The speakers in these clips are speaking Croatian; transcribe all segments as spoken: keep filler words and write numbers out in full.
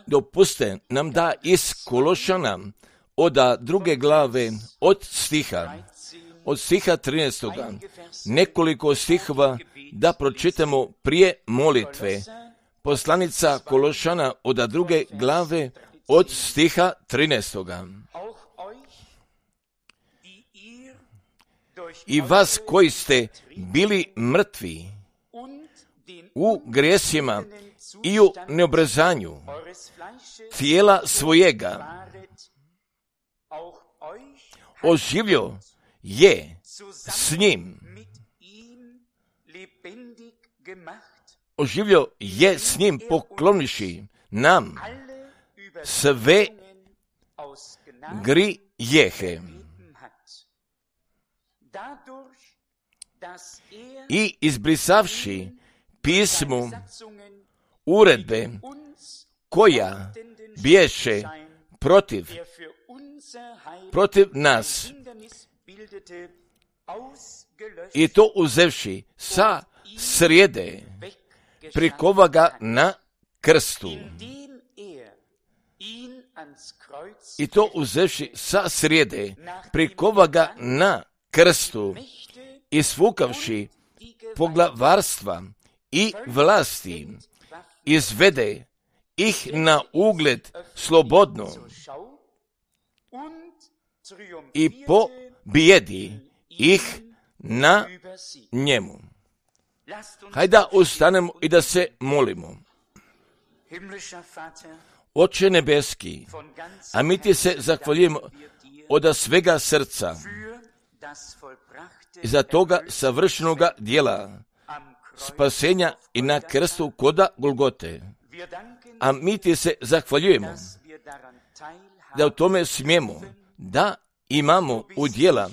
Dopuste nam da iz Kološana od druge glave, od stiha, od stiha trinaestoga, nekoliko stihova da pročitamo prije molitve. Poslanica Kološana od druge glave, od stiha trinaestoga. I vas koji ste bili mrtvi u grijesima i u neobrezanju tijela svojega, oživio je s njim. Oživio je s njim pokloniši nam sve grijehe. I izbrisavši pismu uredbe koja biješe protiv, protiv nas, i to uzevši sa srijede, prikova ga na krstu. I to uzevši sa srijede, prikova ga na krstu, i svukavši poglavarstva i vlasti, izvede ih na ugled slobodno i pobijedi ih na njemu. Hajde da ustanemo i da se molimo. Oče nebeski, a mi ti se zahvaljujemo od svega srca za toga savršenoga djela spasenja i na krstu koda Golgote. A mi ti se zahvaljujemo da u tome smijemo, da imamo udjela,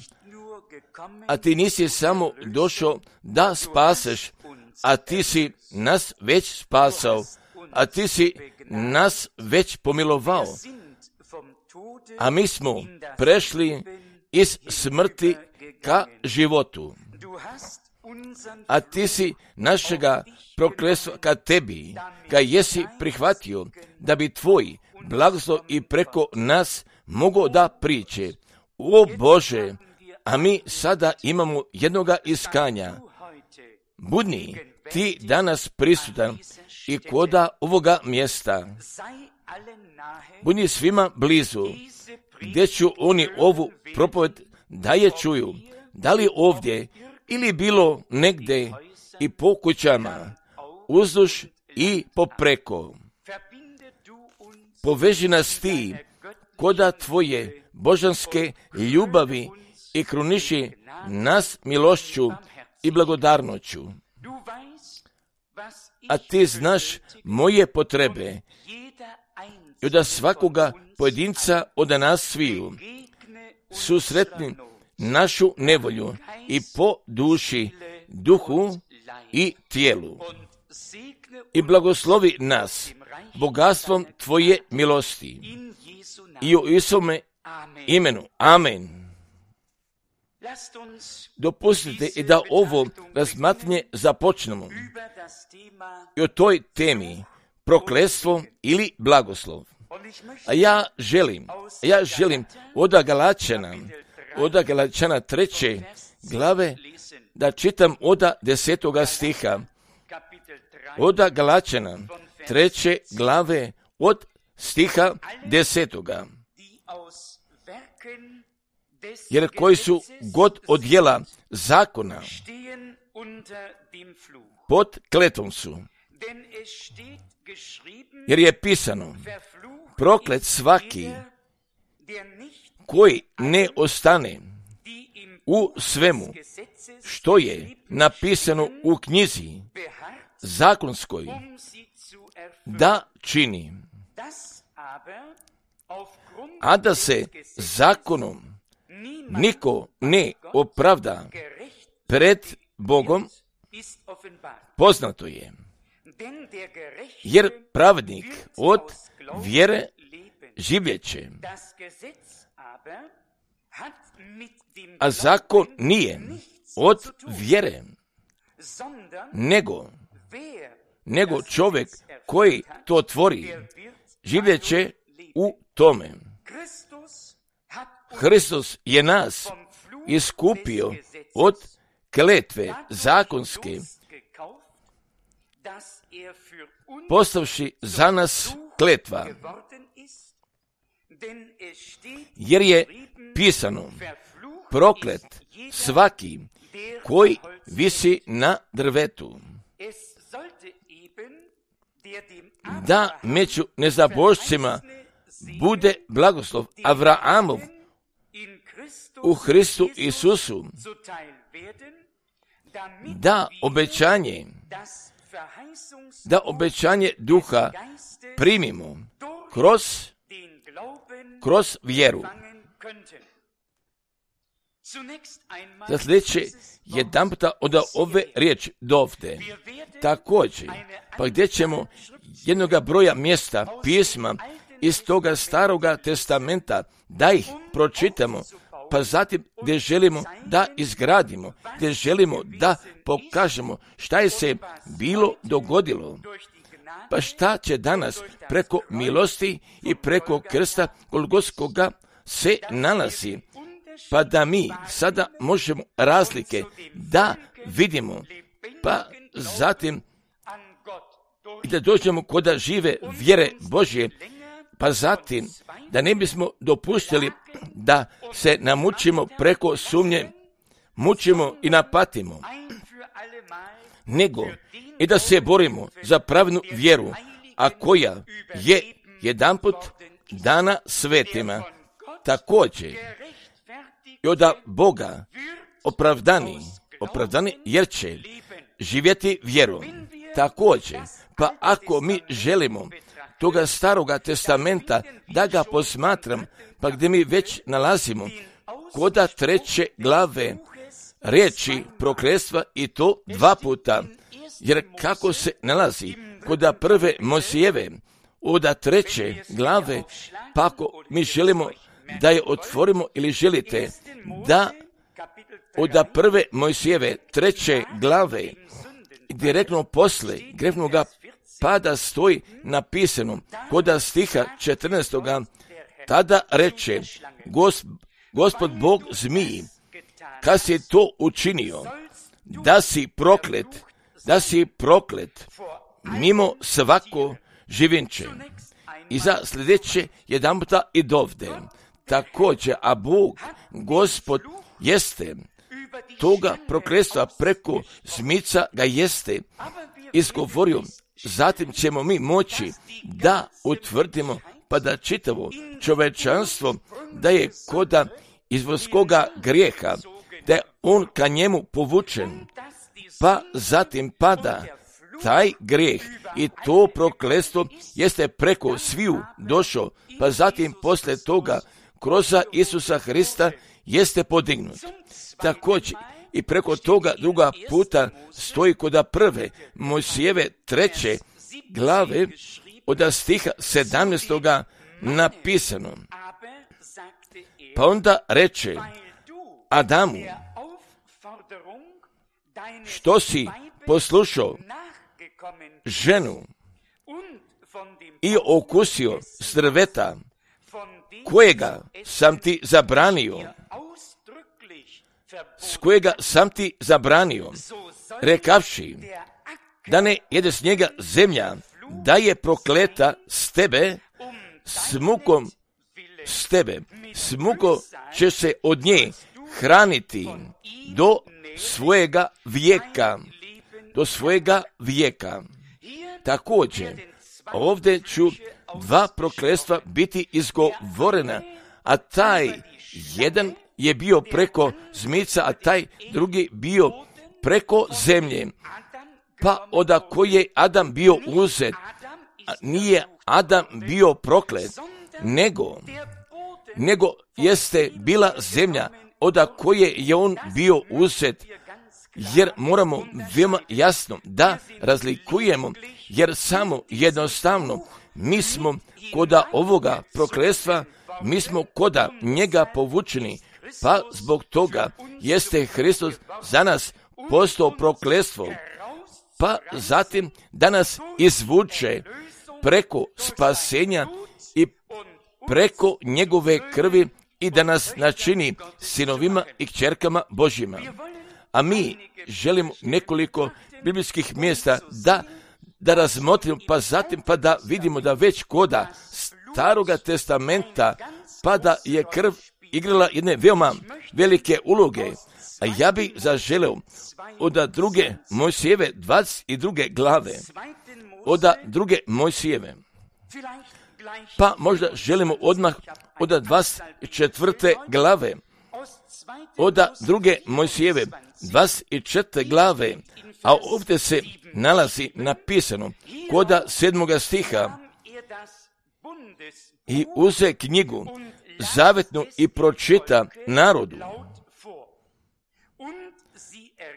a ti nisi samo došao da spaseš, a ti si nas već spasao, a ti si nas već pomilovao, a mi smo prešli iz smrti ka životu, a ti si našega prokletstva ka tebi, ga jesi prihvatio, da bi tvoj blagoslov i preko nas mogao da priče. O Bože, a mi sada imamo jednoga iskanja. Budni ti danas prisutan i koda ovoga mjesta. Budni svima blizu, gdje ću oni ovu propoved da je čuju, da li ovdje ili bilo negdje i po kućama, uzduž i popreko. Poveži nas ti koda tvoje božanske ljubavi i kruniši nas milošću i blagodarnoću. A ti znaš moje potrebe i od svakoga pojedinca od nas sviju susretni našu nevolju i po duši, duhu i tijelu. I blagoslovi nas bogatstvom tvoje milosti. I u Isome imenu. Amen. Dopustite i da ovo razmatranje započnemo i o toj temi prokletstvo ili blagoslov. A ja želim, ja želim od Galačana, od Galačana treće glave da čitam od desetoga stiha. Od Galačana treće glave od stiha desetoga. Jer koji su god od djela zakona pod kletvom su. Jer je pisano, proklet svaki koji ne ostane u svemu što je napisano u knjizi zakonskoj da čini. A da se zakonom niko ne opravda pred Bogom, poznato je. Jer pravednik od vjere živjeće, a zakon nije od vjere, nego nego čovjek koji to tvori, živjet će u tome. Hristos je nas iskupio od kletve zakonske, postavši za nas kletva, jer je pisano: proklet svaki koji visi na drvetu. Da među nezabožcima bude blagoslov Avraamov u Hristu Isusu, da obećanje, da obećanje duha primimo kroz, kroz vjeru. Za sljedeće jedan puta od ove riječi dovde. Također, pa gdje ćemo jednoga broja mjesta pisma iz toga staroga testamenta da ih pročitamo, pa zatim gdje želimo da izgradimo, gdje želimo da pokažemo šta je se bilo dogodilo, pa šta će danas preko milosti i preko krsta Golgotskoga se nalazi, pa da mi sada možemo razlike da vidimo, pa zatim i da dođemo kod žive vjere Božje, pa zatim da ne bismo dopustili da se namučimo preko sumnje, mučimo i napatimo, nego i da se borimo za pravednu vjeru, a koja je jedanput dana svetima. Također i od Boga opravdani, opravdani jer će živjeti vjerom. Također, pa ako mi želimo toga staroga testamenta da ga posmatram, pa gdje mi već nalazimo koda treće glave riječi prokletstva, i to dva puta, jer kako se nalazi koda prve Mojsijeve od treće glave, pa ako mi želimo da je otvorimo ili želite da od prve Mojsijeve treće glave direktno posle grefnoga pada stoji napisano koda stiha četrnaestoga, tada reče Gos, Gospod Bog zmiji, kad si to učinio, da si proklet, da si proklet mimo svako živinče. I za sljedeće jedan puta i dovde. Također, a Bog, Gospod, jeste toga prokletstva preko zmica ga jeste izgovorio. Zatim ćemo mi moći da utvrdimo, pa da čitavo čovečanstvo da je koda izvorskoga grijeha, da je on ka njemu povučen, pa zatim pada taj grijeh i to prokletstvo jeste preko sviju došao, pa zatim posle toga kroz Isusa Hrista jeste podignut. Također i preko toga druga puta stoji koda prve Mojsijeve treće glave od stiha sedamnaestoga napisano. Pa onda reče Adamu, što si poslušao ženu i okusio s drveta kojega sam ti zabranio, s kojega sam ti zabranio, rekavši da ne jede s njega zemlja, da je prokleta s tebe, s mukom s tebe, s mukom će se od nje hraniti do svojega vijeka, do svojega vijeka. Također, ovdje ću dva prokletstva biti izgovorena, a taj jedan je bio preko zmica, a taj drugi bio preko zemlje. Pa od koje je Adam bio uzet, nije Adam bio proklet, nego, nego jeste bila zemlja od koje je on bio uzet, jer moramo veoma jasno da razlikujemo, jer samo jednostavno mi smo koda ovoga prokletstva, mi smo koda njega povučeni, pa zbog toga jeste Hristos za nas postao prokletstvo, pa zatim da nas izvuče preko spasenja i preko njegove krvi i da nas načini sinovima i kćerkama Božjima. A mi želimo nekoliko biblijskih mjesta da, da razmotrimo, pa zatim pa da vidimo da već koda Staroga testamenta pa da je krv igrala jedne veoma velike uloge. A ja bih zaželeo od druge Mojsijeve dvadeset druge glave, od druge Mojsijeve, pa možda želimo odmah od dvadeset četvrte glave, od druge Mojsijeve dvadeset četvrte glave, a ovdje se nalazi napisano kod sedmoga stiha: i uze knjigu zavetnu i pročita narodu.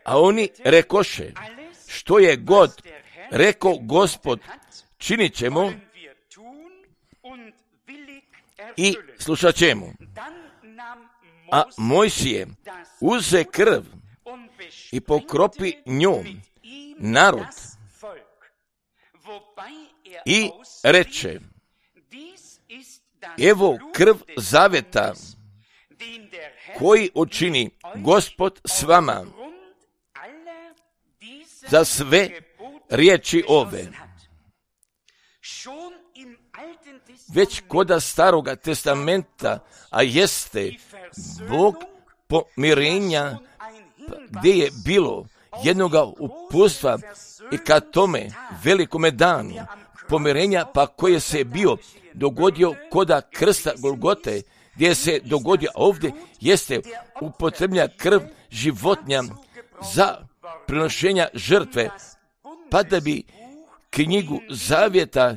A oni rekoše, što je god rekao Gospod, činit ćemo i slušat ćemo. A Mojsije uze krv i pokropi njom narod i reče, evo krv zaveta koji učini Gospod s vama za sve riječi ove. Već koda Staroga testamenta, a jeste Bog pomirenja, gdje je bilo jednoga upustva i ka tome velikome danu pomirenja, pa koje se bio dogodio koda krsta Golgote, gdje se dogodio ovdje, jeste upotrebnja krv životinja za prinošenja žrtve, pa da bi knjigu zavjeta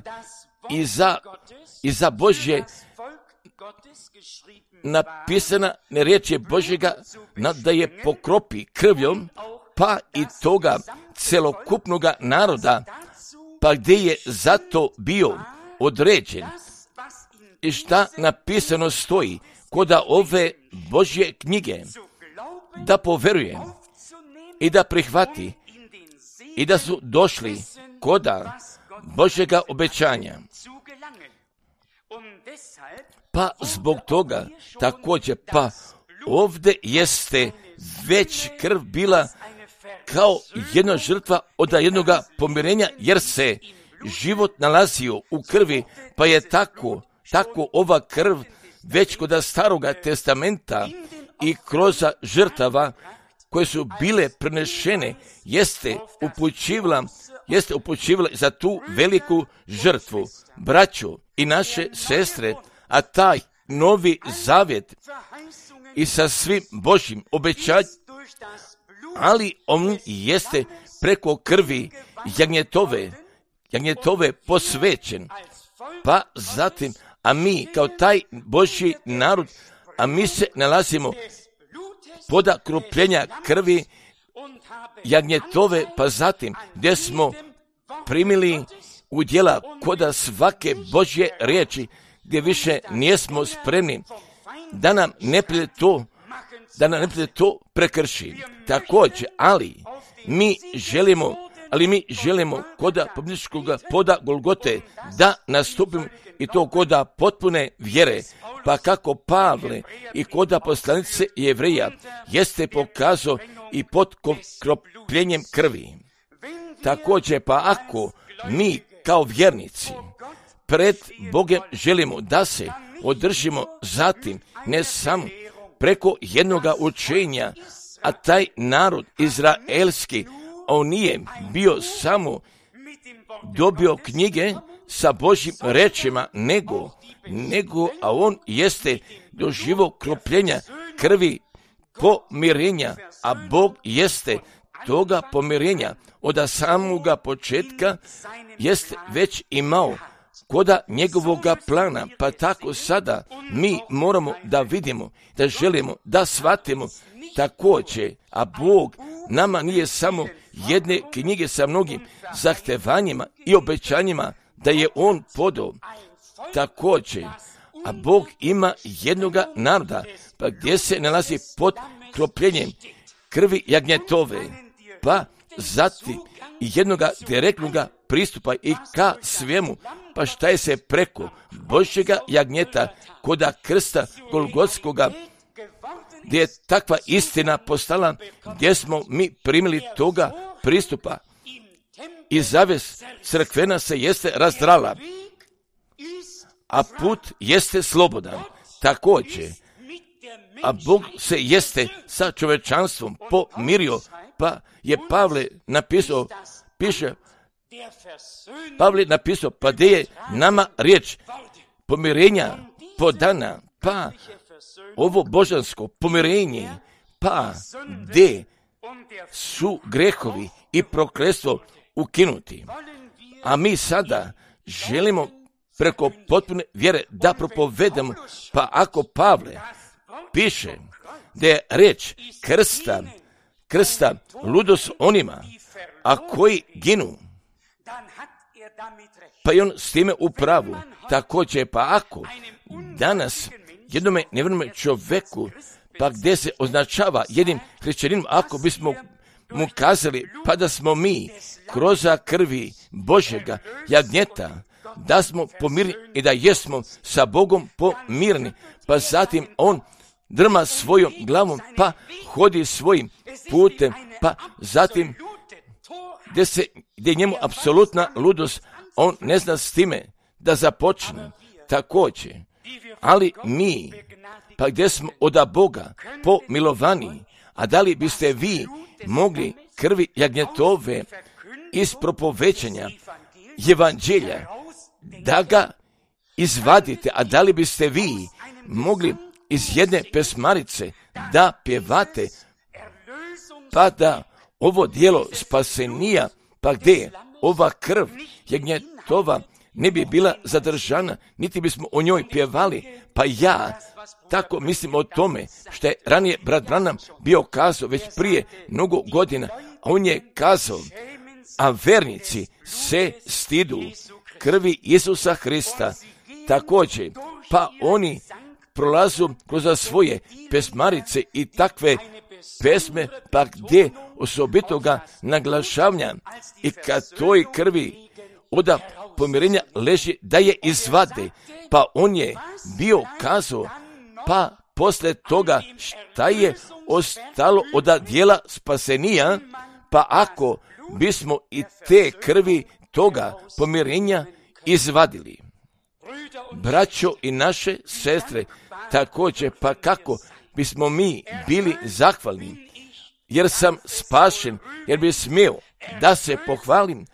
i za, i za Božje napisana ne riječi Božjega da je pokropi krvjom, pa i toga celokupnoga naroda, pa gdje je zato bio određen i šta napisano stoji koda ove Božje knjige, da poveruje i da prihvati i da su došli koda Božjega obećanja. Pa zbog toga također, pa ovdje jeste već krv bila kao jedna žrtva od jednoga pomirenja, jer se život nalazio u krvi, pa je tako, tako ova krv već kod Staroga testamenta i kroz žrtava koje su bile prenešene, jeste upućivala, jeste upućivala za tu veliku žrtvu. Braćo i naše sestre, a taj novi zavjet i sa svim Božjim obećanjem, ali on jeste preko krvi jagnjetove, jagnjetove posvećen. Pa zatim, a mi kao taj Božji narod, a mi se nalazimo poda krupljenja krvi jagnjetove, pa zatim gdje smo primili udjela koda svake Božje riječi, gdje više nismo spremni da nam neprijatelj to, da nam neprijatelj to prekrši. Također, ali mi želimo, ali mi želimo koda pobjedničkog poda Golgote da nastupimo i to koda potpune vjere, pa kako Pavle i koda poslanice Jevreja jeste pokazao i pod kropljenjem krvi. Također, pa ako mi kao vjernici pred Bogom želimo da se održimo zatim, ne samo preko jednoga učenja, a taj narod izraelski, on nije bio samo dobio knjige sa Božjim rečima, nego, nego, a on jeste doživio kropljenja krvi pomirenja, a Bog jeste toga pomirenja od samoga početka jest već imao koda njegovoga plana, pa tako sada mi moramo da vidimo, da želimo, da shvatimo također, a Bog nama nije samo jedne knjige sa mnogim zahtevanjima i obećanjima da je On podao. Također, a Bog ima jednoga naroda, pa gdje se nalazi pod kropljenjem krvi jagnjetove, pa zatim jednoga direktnoga pristupa i ka svemu, pa šta je se preko Božjega jagnjeta koda krsta Golgotskoga, gdje je takva istina postala, gdje smo mi primili toga pristupa i zaves crkvena se jeste razdrala, a put jeste slobodan. Također, a Bog se jeste sa čovečanstvom pomirio, pa je Pavle napisao, piše, Pavle napisao, pa gdje je nama riječ pomirenja podana, pa ovo božansko pomirenje, pa gdje su grehovi i prokletstvo ukinuti. A mi sada želimo preko potpune vjere da propovedemo, pa ako Pavle piše da je riječ krsta, krsta ludost onima, a koji ginu, pa i on s time u pravu. Također, pa ako danas jednome nevjernome čovjeku, pa gdje se označava jednim hrišćaninom, ako bismo mu kazali, pa da smo mi kroz krvi Božjega jagnjeta, da smo pomirni i da jesmo sa Bogom pomirni, pa zatim on drma svojom glavom, pa hodi svojim putem, pa zatim gdje se, gdje je njemu apsolutna ludost, on ne zna s time da započne. Također, ali mi, pa gdje smo od Boga pomilovani, a da li biste vi mogli krvi jagnjetove iz propovećanja evanđelja da ga izvadite, a da li biste vi mogli iz jedne pesmarice da pjevate, pa da ovo dijelo spasenija, pa gdje ova krv jagnjetova ne bi bila zadržana, niti bismo o njoj pjevali, pa ja tako mislim o tome što je ranije brat Branham bio kazao već prije mnogo godina, a on je kazao, a vernici se stidu krvi Isusa Hrista. Također, pa oni prolazu kroz svoje pesmarice i takve pesme, pa gdje osobitoga naglašavanja i kad toj krvi od pomirenja leži da je izvade, pa on je bio kazao, pa posle toga šta je ostalo od dijela spasenija, pa ako bismo i te krvi toga pomirenja izvadili. Braćo i naše sestre, također, pa kako bismo mi bili zahvalni, jer sam spašen, jer bi smio da se pohvalim,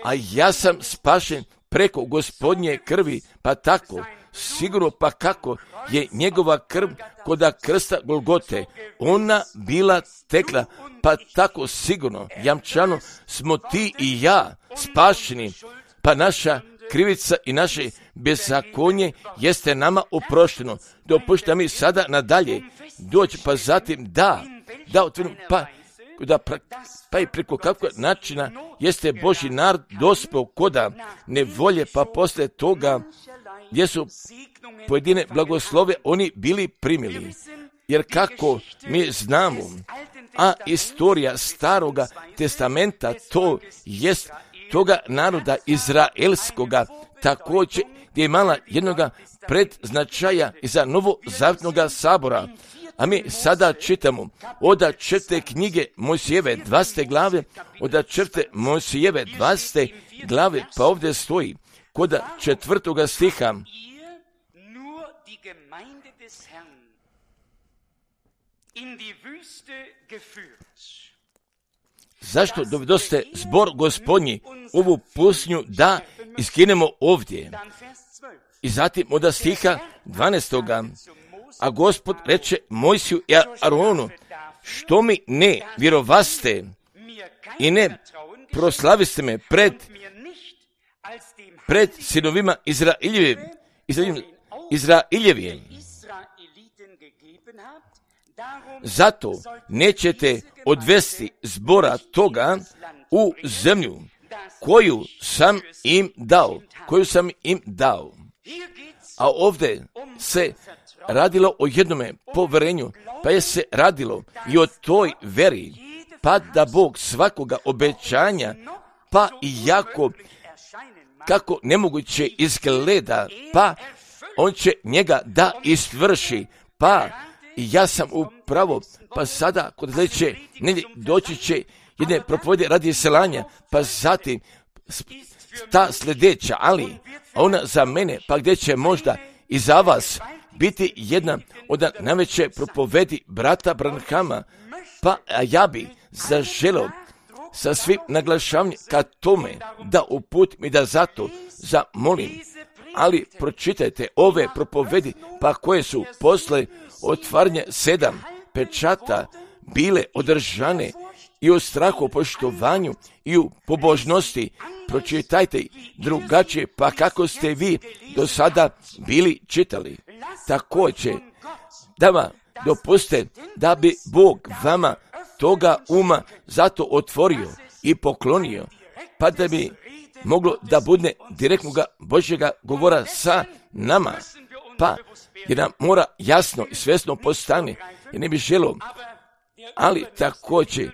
a ja sam spašen preko Gospodnje krvi, pa tako, sigurno pa kako je njegova krv koda krsta Golgote, ona bila tekla, pa tako sigurno, jamčano, smo ti i ja spašeni, pa naša krivica i naše bezakonje jeste nama oprošteno. Dopušta mi sada nadalje doći, pa zatim da, da otvorim, pa, da, pa i preko kakvog načina jeste Božji narod dospeo koda nevolje, pa posle toga gdje su pojedine blagoslove oni bili primili. Jer kako mi znamo, a istorija Staroga testamenta to jest toga naroda izraelskoga, također gdje je imala jednoga predznačaja iza novozavjetnoga sabora. A mi sada čitamo od četvrte knjige Mojsijeve dvadesete glave, od četvrte Mojsijeve dvadesete glave, pa ovdje stoji kod četvrtoga stiha. Zašto dovedoste zbor Gospodnji ovu pustinju da iskinemo ovdje? I zatim od stiha dvanaestoga. A Gospod reče Mojsiju i Aronu, što mi ne vjerovaste i ne proslaviste me pred, pred sinovima Izraeljevim, Izraeljevim. Zato nećete odvesti zbora toga u zemlju koju sam im dao, koju sam im dao. A ovdje se radilo o jednome poverenju, pa je se radilo i o toj veri, pa da Bog svakoga obećanja pa i jako kako nemoguće izgleda, pa on će njega da istvrši, pa i ja sam upravo, pa sada kod sljedeće nedjelje doći će jedne propovjede radi selanja, pa zatim ta sljedeća, ali ona za mene, pa gdje će možda i za vas biti jedna od najveće propovedi brata Branhama, pa ja bi zaželio sa svim naglašavanjem ka tome da uputim i da zato zamolim, ali pročitajte ove propovedi, pa koje su posle otvaranja sedam pečata bile održane i u strahu, poštovanju i u pobožnosti. Pročitajte drugačije, pa kako ste vi do sada bili čitali. Također, da vam dopuste da bi Bog vama toga uma zato otvorio i poklonio, pa da bi moglo da bude direktnoga Božjega govora sa nama, pa jer nam mora jasno i svjesno postane, jer ne bi želio, ali također,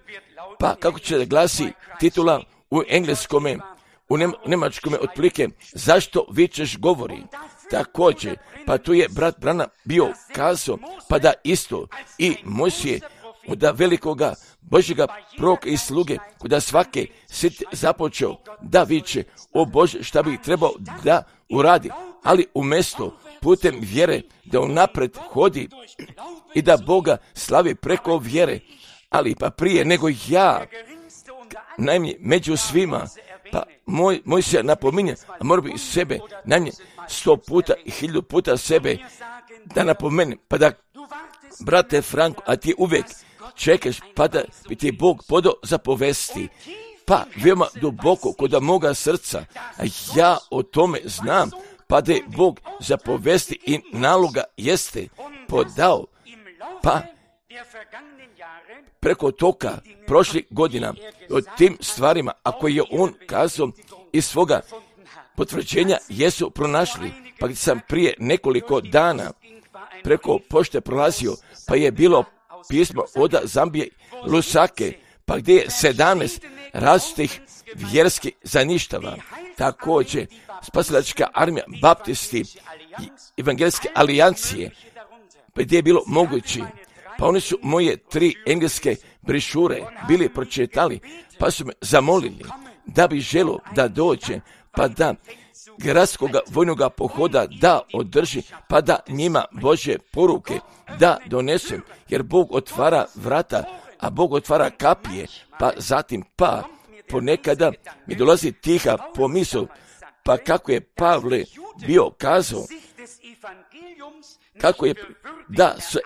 pa kako će da glasi titula u engleskome, u njemačkome otprilike, zašto vičeš govori. Također, pa tu je brat Branham bio kazao, pa da isto i Mojsije da velikoga Božjega proroka i sluge, kada svake sit započeo da viče, o Bože, šta bi trebao da uradi, ali umjesto putem vjere da unapred hodi i da Boga slavi preko vjere, ali pa prije nego ja, najmanje među svima, pa moj, moj se napominje, a mora bi sebe, najmanje sto puta i hiljadu puta sebe da napomenem, pa da, brate Franko, a ti uvijek čekaš, pa da bi ti Bog podao zapovesti, pa veoma duboko kod moga srca, a ja o tome znam, pa da je Bog zapovesti i naloga jeste podao, pa preko toka prošlih godina o tim stvarima, ako je on kazao iz svoga potvrđenja jesu pronašli, pa gdje sam prije nekoliko dana preko pošte prolazio, pa je bilo pismo od Zambije Lusake, pa gdje je sedamnaest različitih vjerskih zaništava. Također, spasilačka armija, baptisti, evangelijske alijancije, pa gdje je bilo moguće. Pa oni su moje tri engleske brišure bili pročitali, pa su me zamolili da bi želio da dođe, pa da gradskog vojnog pohoda da održi, pa da njima Božje poruke da donesem, jer Bog otvara vrata, a Bog otvara kapije, pa zatim pa ponekada mi dolazi tiha pomisao, pa kako je Pavle bio kazao, kako je da se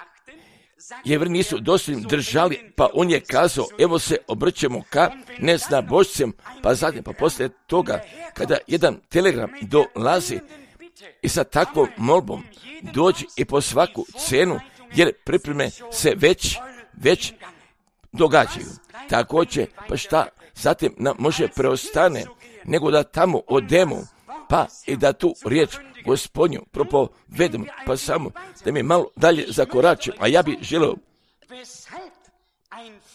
Jevri nisu dosljedno držali, pa on je kazao, evo se obrćemo ka neznabošcem, pa zatim, pa poslije toga, kada jedan telegram dolazi i sa takvom molbom dođi i po svaku cenu, jer pripreme se već, već događaju. Također, pa šta zatim nam može preostane, nego da tamo odemo, pa i da tu riječ Gospodnju propovedemo, pa samo da mi malo dalje zakoračim, a ja bi želio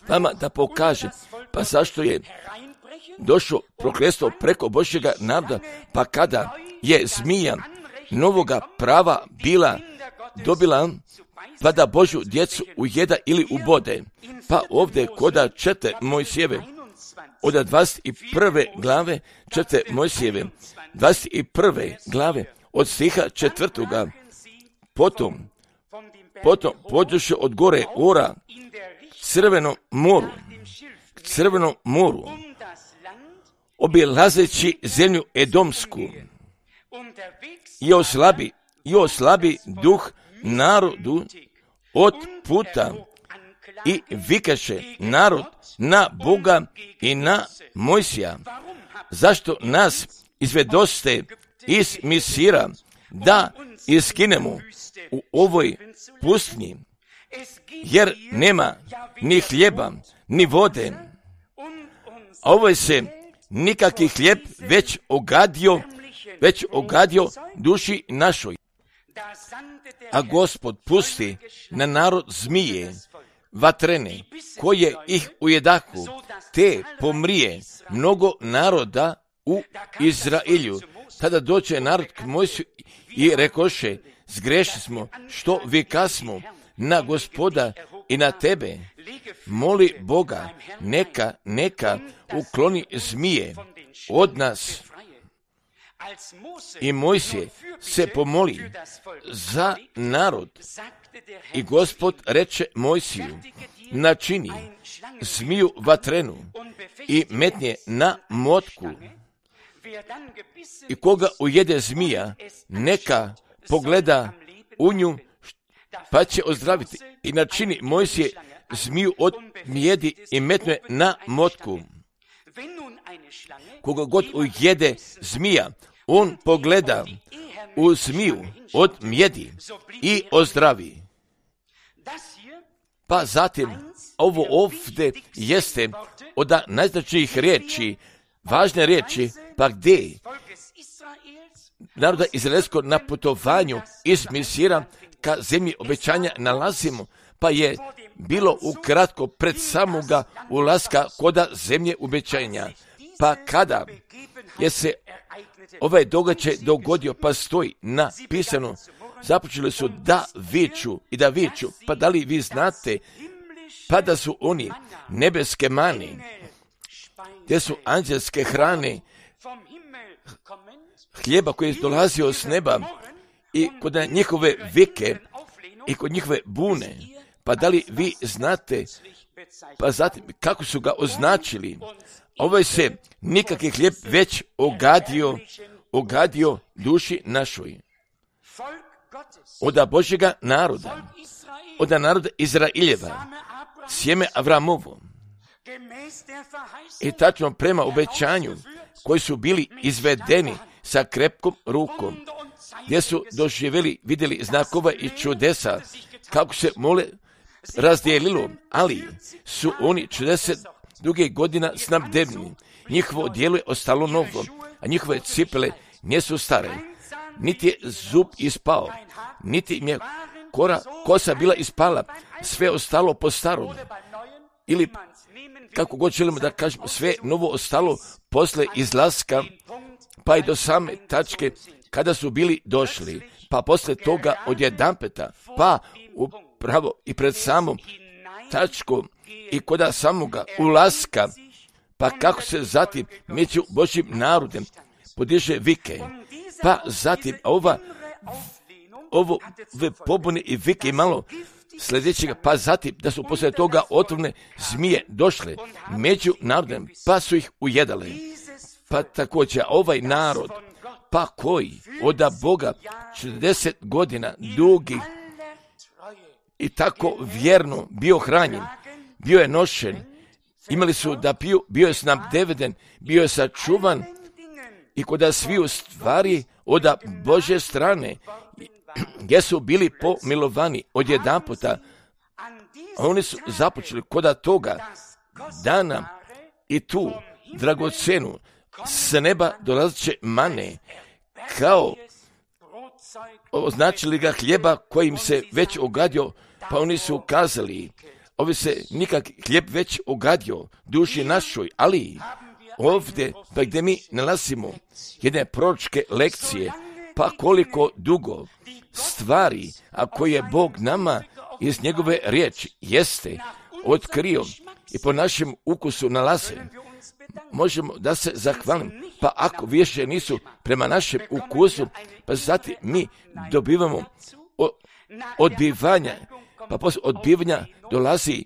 vama da pokažem, pa zašto je došlo prokletstvo preko Božjega naroda, pa kada je zmija novoga prava bila dobila, pa da Božju djecu ujeda ili ubode, pa ovdje koda čete Mojsijeve, od dvadeset prve glave čete Mojsijeve, dvadeset prve glave, od stiha četvrtoga, potom, potom pođoše od gore ora, Crvenom moru, Crvenom moru, obilazeći zemlju Edomsku, i oslabi, i oslabi duh narodu od puta i vikaše narod na Boga i na Mojsija. Zašto nas izvedoste iz Misira da iskinemo u ovoj pustinji, jer nema ni hljeba, ni vode, a ovo se nikakvi hljeb već ogadio, već ogadio duši našoj. A Gospod pusti na narod zmije, vatrene, koje ih ujedahu, te pomrije mnogo naroda u Izraelju. Tada doće narod k Mojsiju i rekoše, zgrešili smo, što vikasmo na Gospoda i na tebe. Moli Boga, neka, neka ukloni zmije od nas. I Mojsije se pomoli za narod. I Gospod reče Mojsiju, načini zmiju vatrenu i metnje na motku. I koga ujede zmija, neka pogleda u nju, pa će ozdraviti. I načini Mojsije zmiju od mjedi i metne na motku. Koga god ujede zmija, on pogleda u zmiju od mjedi i ozdravi. Pa zatim, ovo ovdje jeste od najznačajnijih riječi, važne riječi, pa gdje naroda izraelskog na putovanju iz Misira ka zemlji obećanja nalazimo, pa je bilo ukratko pred samoga ulaska koda zemlje obećanja. Pa kada je se ovaj događaj dogodio, pa stoji napisano, započeli su da viču i da viču, pa da li vi znate, pa da su oni nebeske mane, gdje su anđelske hrane, hljeba koji je dolazio s neba i kod njihove vike i kod njihove bune, pa da li vi znate, pa zatim kako su ga označili, ovaj se nikakvi hljeb već ogadio, ogadio duši našoj. Oda Božjega naroda, oda naroda Izraeljeva, sjeme Avramovo. I tačno prema obećanju koji su bili izvedeni sa krepkom rukom, gdje su doživjeli, vidjeli znakova i čudesa, kako se mole razdijelilo, ali su oni četrdeset druge godina snabdevni. Njihovo dijelo je ostalo novo, a njihove cipele nisu stare. Niti je zub ispao, niti im je kora, kosa bila ispala, sve ostalo po starom. Ili, kako god želimo da kažemo, sve novo ostalo posle izlaska, pa i do same tačke kada su bili došli, pa posle toga odjedanpeta, pa upravo i pred samom tačkom i koda samoga ulaska, pa kako se zatim među Božjim narodem podiže vike, pa zatim ova ovo ove pobune i vike malo sljedećega, pa zatim da su poslije toga otrovne zmije došle među narodem, pa su ih ujedale. Pa također ovaj narod, pa koji od Boga četrdeset godina dugih i tako vjerno bio hranjen, bio je nošen, imali su da piju, bio je snabdeveden, bio je sačuvan i kod sviju stvari od Božje strane, gdje su bili pomilovani odjedanputa, a oni su započeli kod toga dana i tu dragocenu s neba dolazeće mane, kao označili ga hljeba kojim se već ogadio, pa oni su kazali, ovi se nikak hljeb već ogadio duši našoj, ali ovdje, pa gdje mi nalazimo jedne proročke lekcije, pa koliko dugo stvari, a koje je Bog nama iz njegove riječi jeste otkrio i po našem ukusu nalaze, možemo da se zahvalim, pa ako više nisu prema našem ukusu, pa zatim mi dobivamo odbivanja, pa posle odbivanja dolazi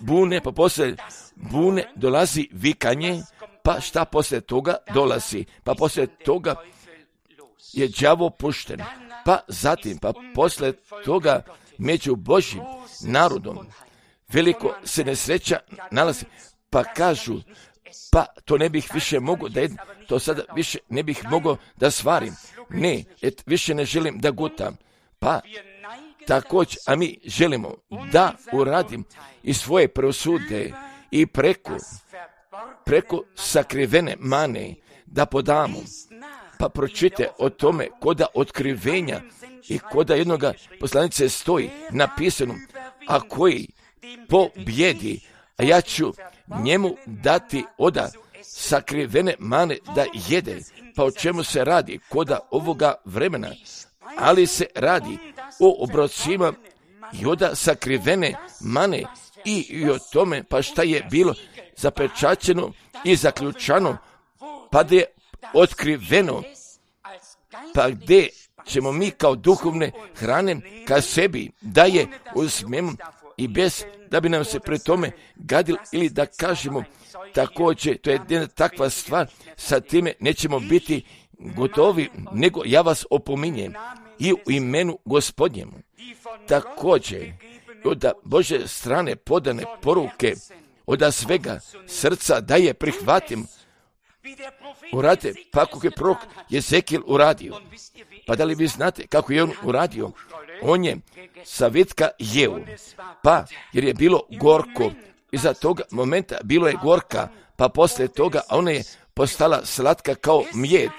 bune, pa posle bune dolazi vikanje, pa šta posle toga dolazi, pa posle toga je đavo pušten, pa zatim, pa posle toga među Božjim narodom veliko se nesreća nalazi, pa kažu, pa to ne bih više mogao da jedem, to sada više ne bih mogao da svarim, ne, et više ne želim da gutam, pa također, a mi želimo da uradim i svoje prosude i preko, preko sakrivene mane da podamo, pa pročite o tome koda otkrivenja i koda jednoga poslanice stoji napisano, a koji pobjedi, a ja ću njemu dati oda sakrivene mane da jede. Pa o čemu se radi koda ovoga vremena? Ali se radi o obrocima i oda sakrivene mane i, i o tome pa šta je bilo zapečaćeno i zaključano, pa da je otkriveno, pa gdje ćemo mi kao duhovne hrane ka sebi da je uzmemo i bez da bi nam se pre tome gadil ili da kažemo također, to je jedna takva stvar, sa time nećemo biti gotovi, nego ja vas opominjem i u imenu Gospodnjemu. Također, od Bože strane podane poruke, od svega srca da je prihvatim, urade, pa kako je prorok Jezekijel uradio. Pa da li vi znate kako je on uradio? On je sa vitka jeo, pa jer je bilo gorko, iza toga momenta bilo je gorka, pa poslije toga ona je postala slatka kao mjed,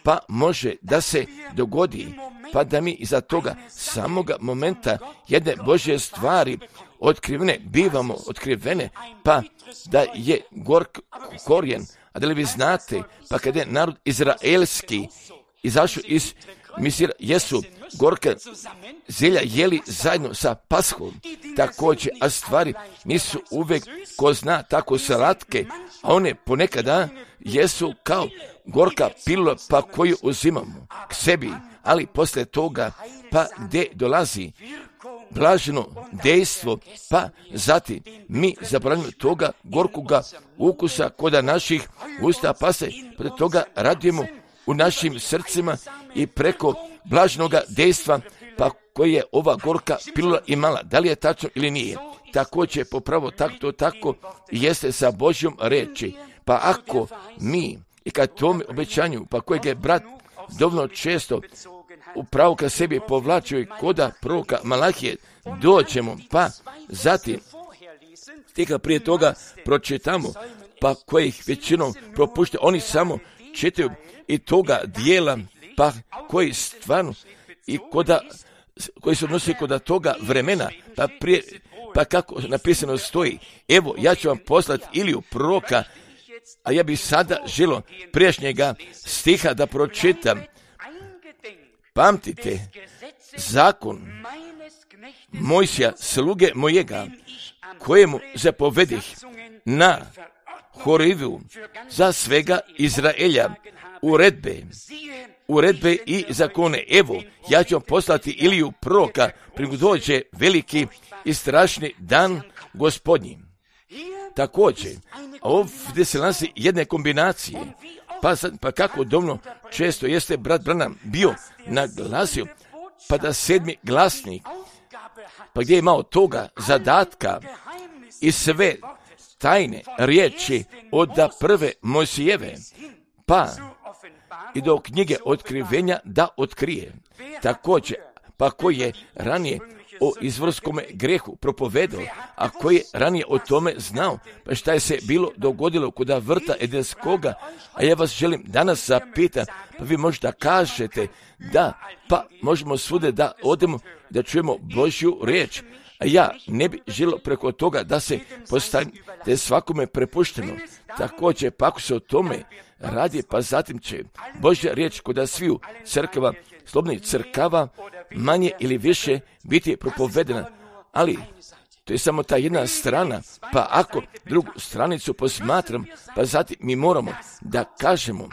pa može da se dogodi, pa da mi iza toga samoga momenta jedne Božje stvari otkrivene, bivamo otkrivene, pa da je gork korijen. A da li vi znate, pa kada je narod izraelski izašao iz Misira, jesu gorka zelja jeli zajedno sa Pashom, također, a stvari nisu uvijek, ko zna, tako slatke, a one ponekada jesu kao gorka pilula, pa koju uzimamo k sebi, ali poslije toga, pa gdje dolazi blaženo dejstvo, pa zatim mi zaboravimo toga gorkoga ukusa koda naših usta, pa se pored toga radujemo u našim srcima i preko blaženoga dejstva, pa koje je ova gorka pilula imala. Da li je tačno ili nije? Također popravo tako to tako jeste sa Božjom reči. Pa ako mi i kad tome obećanju, pa kojeg je brat dovoljno često upravo ka sebi povlačio i koda proroka Malahije, doćemo, pa zatim tika prije toga pročitamo, pa kojih većinom propušte, oni samo čitaju i toga dijela, pa koji stvarno i koda, koji se odnosi koda toga vremena, pa prije, pa kako napisano stoji, evo ja ću vam poslati Iliju proroka, a ja bih sada želio prijašnjega stiha da pročitam. Pamtite zakon Mojsija, sluge mojega, kojemu zapovedih na Horivu za svega Izraelja, uredbe, uredbe i zakone. Evo, ja ću vam poslati Iliju proroka, prije dođe veliki i strašni dan Gospodnji. Također, ovdje se nalazi jedne kombinacije, pa, sad, pa kako domno često jeste brat Branham bio naglasio, pa da sedmi glasnik, pa gdje je imao toga zadatka i sve tajne riječi od da prve Mojsijeve, pa i do knjige otkrivenja da otkrije. Također, pa koji je ranije o izvorskome grehu propovedao, a koji je ranije o tome znao, pa šta je se bilo dogodilo kuda vrta Edenskoga, a ja vas želim danas zapitati, pa vi možda kažete da, pa možemo svude da odemo, da čujemo Božju riječ, a ja ne bi želio preko toga da se postavim, da je svakome prepušteno. Također, pa ako se o tome radi, pa zatim će Božja riječ kod sviju crkava, slobodnih crkava, manje ili više biti propovedena, ali to je samo ta jedna strana, pa ako drugu stranicu posmatram, pa zatim mi moramo da kažemo,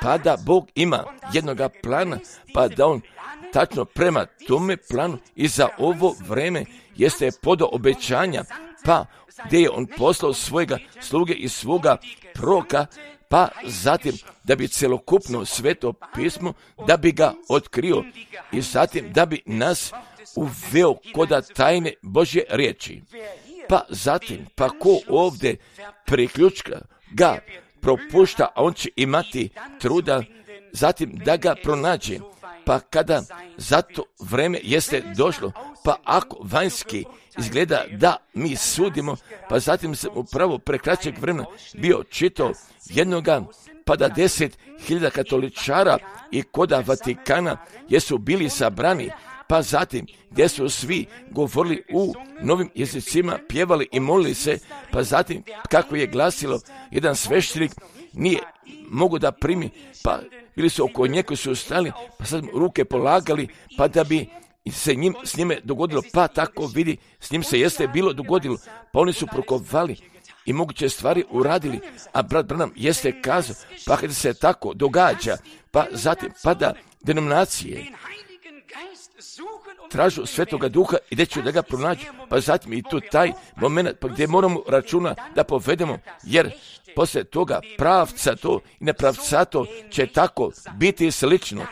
pa da Bog ima jednoga plana, pa da on tačno prema tome planu i za ovo vreme jeste podao obećanja, pa gdje je on poslao svojega sluge i svoga proroka, pa zatim da bi celokupno sveto pismo, da bi ga otkrio i zatim da bi nas uveo koda tajne Božje riječi. Pa zatim, pa ko ovdje priključka ga propušta, a on će imati truda zatim da ga pronađe. Pa kada za to vreme jeste došlo, pa ako vanjski izgleda da mi sudimo, pa zatim sam upravo pre kraćeg vremena bio čitao jednoga, pa da deset hiljada katoličara i koda Vatikana jesu bili sabrani, pa zatim gdje su svi govorili u novim jezicima, pjevali i molili se, pa zatim kako je glasilo, jedan sveštenik nije mogu da primi, pa bili su oko nje koji su stali, pa sad ruke polagali, pa da bi se njim, s njime dogodilo, pa tako vidi, s njim se jeste bilo dogodilo, pa oni su prokovali i moguće stvari uradili, a brat Branham jeste kazao, pa kada se tako događa, pa zatim pada denominacije, tražu Svetoga Duha i gdje ću da ga pronađu, pa zatim i tu taj moment, pa gdje moramo računa da povedemo, jer poslije toga pravca to i nepravcato će tako biti slično.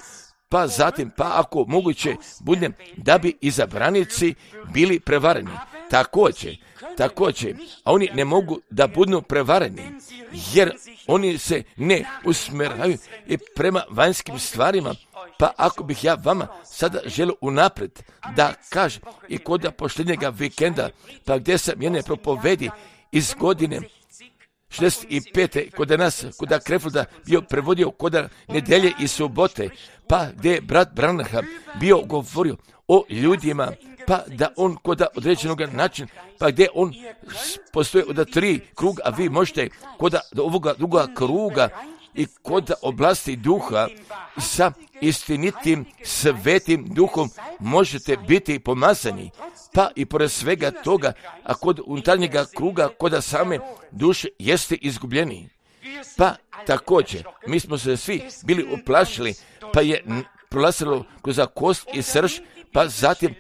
Pa zatim, pa ako moguće budem da bi izabranici bili prevareni. Također, također, a oni ne mogu da budu prevareni, jer oni se ne usmjeravaju i prema vanjskim stvarima. Pa ako bih ja vama sada želio unaprijed da kažem i kod posljednjega vikenda, pa gdje sam jedne propovedi iz godine šezdeset pete kod nas, kod Krefilda bio prevodio kod nedelje i subote, pa gdje je brat Branham bio govorio o ljudima, pa da on kod određenog načina, pa gdje on postoji od tri kruga, a vi možete kod ovoga druga kruga i kod oblasti duha sa istinitim svetim duhom možete biti pomazani, pa i pored svega toga, a kod unutarnjega kruga, kod same duše jeste izgubljeni. Pa također, mi smo se svi bili uplašili, pa je prolazilo kroz kost i srž, pa zatim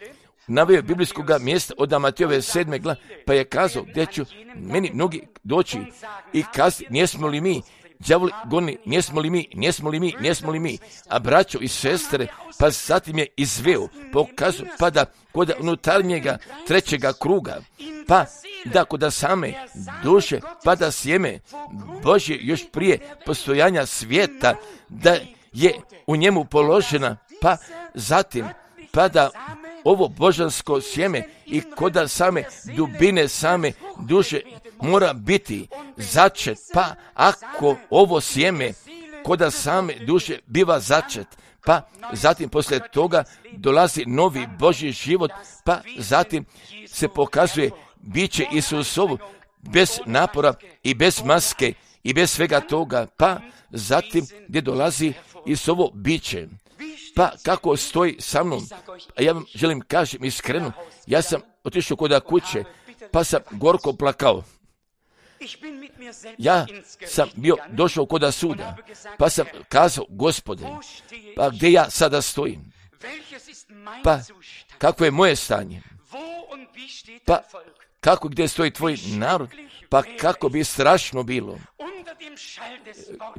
naveo biblijskog mjesta od Matejove sedme glave, pa je kazao gdje ću meni mnogi doći i kazati, nismo li mi đavoli goni, nismo li mi, nismo li mi, nismo li mi, a braćo i sestre, pa zatim je izveo, pokazao, pa da kod unutarnjega trećega kruga, pa da kod same duše, pa da sjeme Božje još prije postojanja svijeta, da je u njemu položena, pa zatim, pa da ovo božansko sjeme i kod same dubine same duše mora biti začet, pa ako ovo sjeme kod same duše biva začet, pa zatim poslije toga dolazi novi Božji život, pa zatim se pokazuje biće Isusovo bez napora i bez maske i bez svega toga, pa zatim gdje dolazi Isusovo biće. Pa kako stoji sa mnom, a ja vam želim kažem iskreno, ja sam otišao kod kuće, pa sam gorko plakao. Ja sam bio došao kod suda, pa sam kazao, Gospode, pa gdje ja sada stojim? Pa kako je moje stanje? Pa kako gdje stoji tvoj narod? Pa kako bi strašno bilo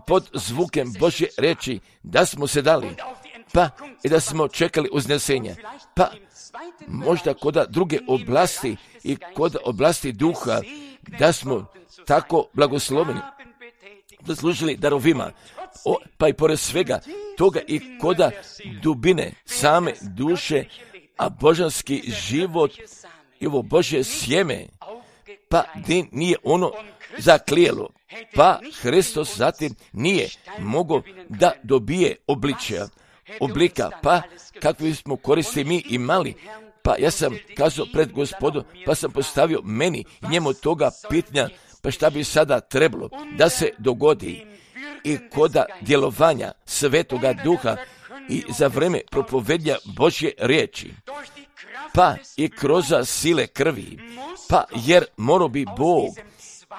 pod zvukem Božje reči da smo se dali, pa i da smo čekali uznesenje, pa možda kod druge oblasti i kod oblasti duha da smo tako blagosloveni, zaslužili darovima, o, pa i pored svega toga i koda dubine same duše, a božanski život i ovo Božje sjeme, pa gdje nije ono zaklijelo, pa Hristos zatim nije mogao da dobije obličja, oblika, pa kakvi smo koristi mi imali, pa ja sam kazao pred Gospodom, pa sam postavio meni njemu toga pitanja, pa šta bi sada trebalo da se dogodi i koda djelovanja Svetoga Duha i za vreme propovednja Božje riječi, pa i kroz sile krvi, pa jer morao bi Bog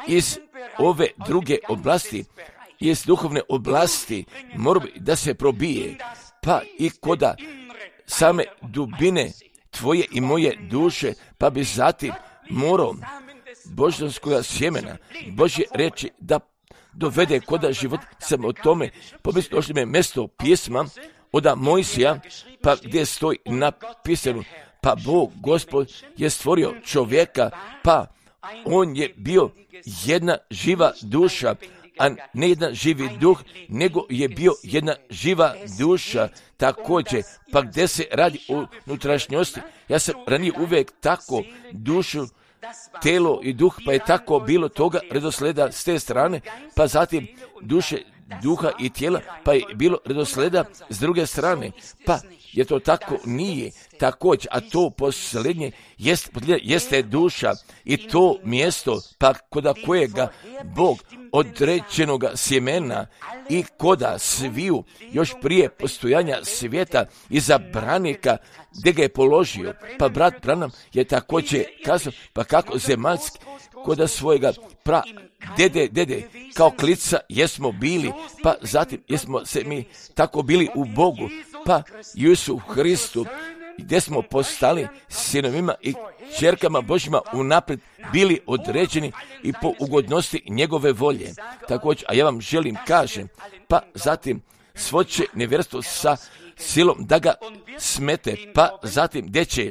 iz ove druge oblasti, iz duhovne oblasti, morao bi da se probije, pa i koda same dubine tvoje i moje duše, pa bi zatim morao božanskog sjemena Božje reći da dovede koda život. Sam o tome pomislio, došli me mjesto pjesma od Mojsija, pa gdje stoji napisano, pa Bog, Gospod, je stvorio čovjeka, pa on je bio jedna živa duša, a ne jedan živi duh, nego je bio jedna živa duša također, pa gdje se radi o unutrašnjosti. Ja sam ranije uvijek tako dušu, telo i duh, pa je tako bilo toga redosleda s te strane, pa zatim duše duha i tijela, pa je bilo redosleda s druge strane, pa je to tako nije također, a to posljednje jest, jeste duša i to mjesto, pa koda kojega Bog određenoga sjemena i koda sviju još prije postojanja svijeta i zabranika gdje ga je položio. Pa brat Branham je također kazao, pa kako zemaljski koda svojega pra dede, dede, kao klica jesmo bili, pa zatim jesmo se mi tako bili u Bogu, pa Isu Hristu, gdje smo postali sinovima i ćerkama Božjima unaprijed bili određeni i po ugodnosti njegove volje. Također, a ja vam želim kažem, pa zatim svoće nevjerstvo sa silom da ga smete, pa zatim gdje će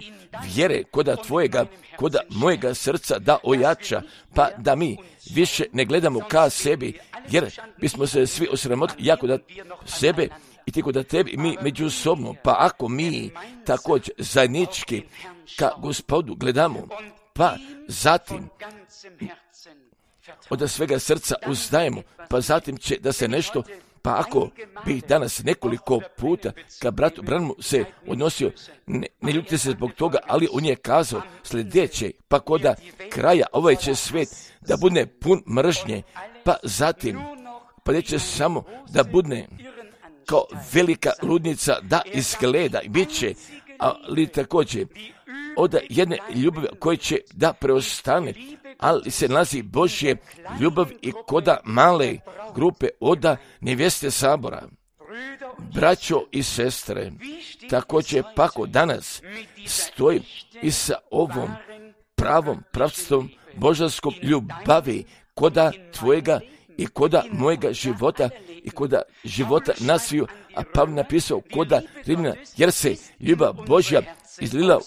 vjere koda tvojega, koda mojega srca da ojača, pa da mi više ne gledamo ka sebi, jer bismo se svi osramotili jako da sebe i ti da tebi mi međusobno, pa ako mi također zajednički ka Gospodu gledamo, pa zatim od svega srca uzdajemo, pa zatim će da se nešto, pa ako bi danas nekoliko puta ka bratu Branhamu se odnosio, ne, ne ljutite se zbog toga, ali on je kazao sljedeće, pa koda kraja ovaj će svijet da bude pun mržnje, pa zatim pa neće samo da bude kao velika ludnica da izgleda i bit će, ali također od jedne ljubavi koje će da preostane, ali se nalazi Božje ljubav i koda male grupe oda nevjeste sabora. Braćo i sestre, također pako danas stoji i sa ovom pravom pravstvom božanskom ljubavi koda tvojega i koda mojega života i koda života nasviju, a Pavle napisao koda Rimljana, jer se ljubav Božja izlila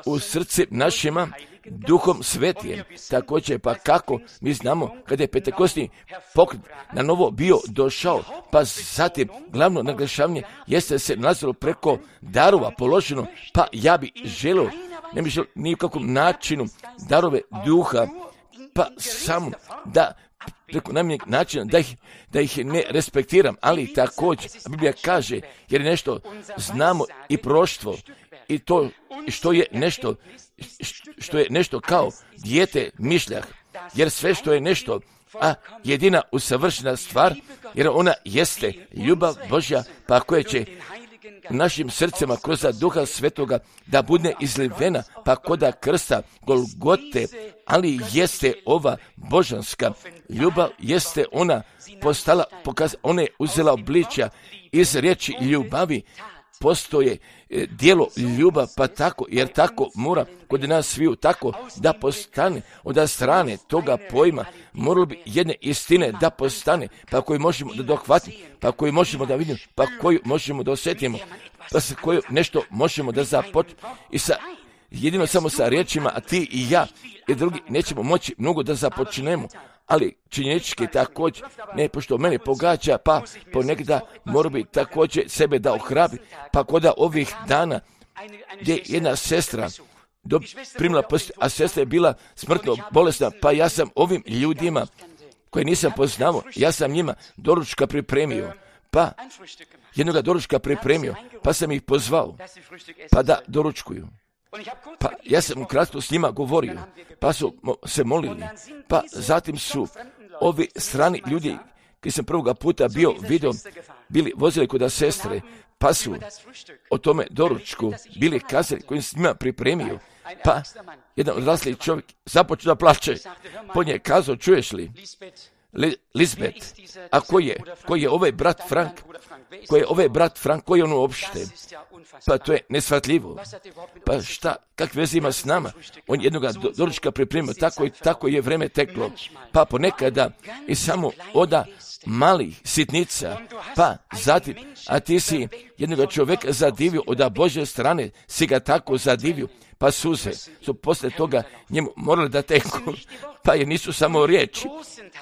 u srce našima Duhom Svetijem. Također, pa kako mi znamo kada je Pentekostni pokret na novo bio došao, pa zatim glavno naglašavanje jeste se nalazilo preko darova položeno, pa ja bi želio, ne bi želio nikakvom načinu darove duha, pa samo da preko najmanjeg načina da ih, da ih ne respektiram, ali također Biblija kaže, jer nešto znamo i proštvo i to što je nešto što je nešto kao dijete mišljah, jer sve što je nešto, a jedina usavršena stvar, jer ona jeste ljubav Božja, pa koja će u našim srcima kroz Duha Svetoga da bude izlivena, pa koda krsta Golgote, ali jeste ova božanska ljubav, jeste ona postala, pokaz, ona je uzela obličja iz riječi ljubavi, postoje e, dijelo ljubav, pa tako, jer tako mora kod nas sviju tako da postane od strane toga pojma, moralo bi jedne istine da postane, pa koju možemo da dohvatimo, pa koju možemo da vidimo, pa koju možemo da osjetimo, pa sa koju nešto možemo da započnemo i sa jedino samo sa riječima, a ti i ja i drugi nećemo moći mnogo da započnemo, ali činjenički također, ne pošto mene pogađa, pa ponekada mora bi također sebe da ohrabri, pa koda ovih dana gdje jedna sestra do, primila post, a sestra je bila smrtno bolesna, pa ja sam ovim ljudima koje nisam poznao, ja sam njima doručka pripremio, pa jednoga doručka pripremio, pa sam ih pozvao, pa da doručkuju. Pa ja sam ukratko s njima govorio, pa su se molili, pa zatim su ovi strani ljudi, koji sam prvoga puta bio vidio, bili vozili kod sestre, pa su o tome doručku bili kazali koji sam s njima pripremio, pa jedan odrasli čovjek započeo da plače, po nje kazao, čuješ li, Lisbet, a ko je, ko je ovaj brat Frank, ko je ovaj brat Frank, ko je on uopšte? Pa to je nesvatljivo. Pa šta, kak veze ima s nama? On jednoga do, doručka pripremio, tako i tako je vreme teklo. Pa ponekada i samo oda malih sitnica, pa zatim, a ti si jednoga čovjeka zadivio, od Božje strane si ga tako zadivio, pa suze su poslije toga njemu morali da teku, pa jer nisu samo riječi,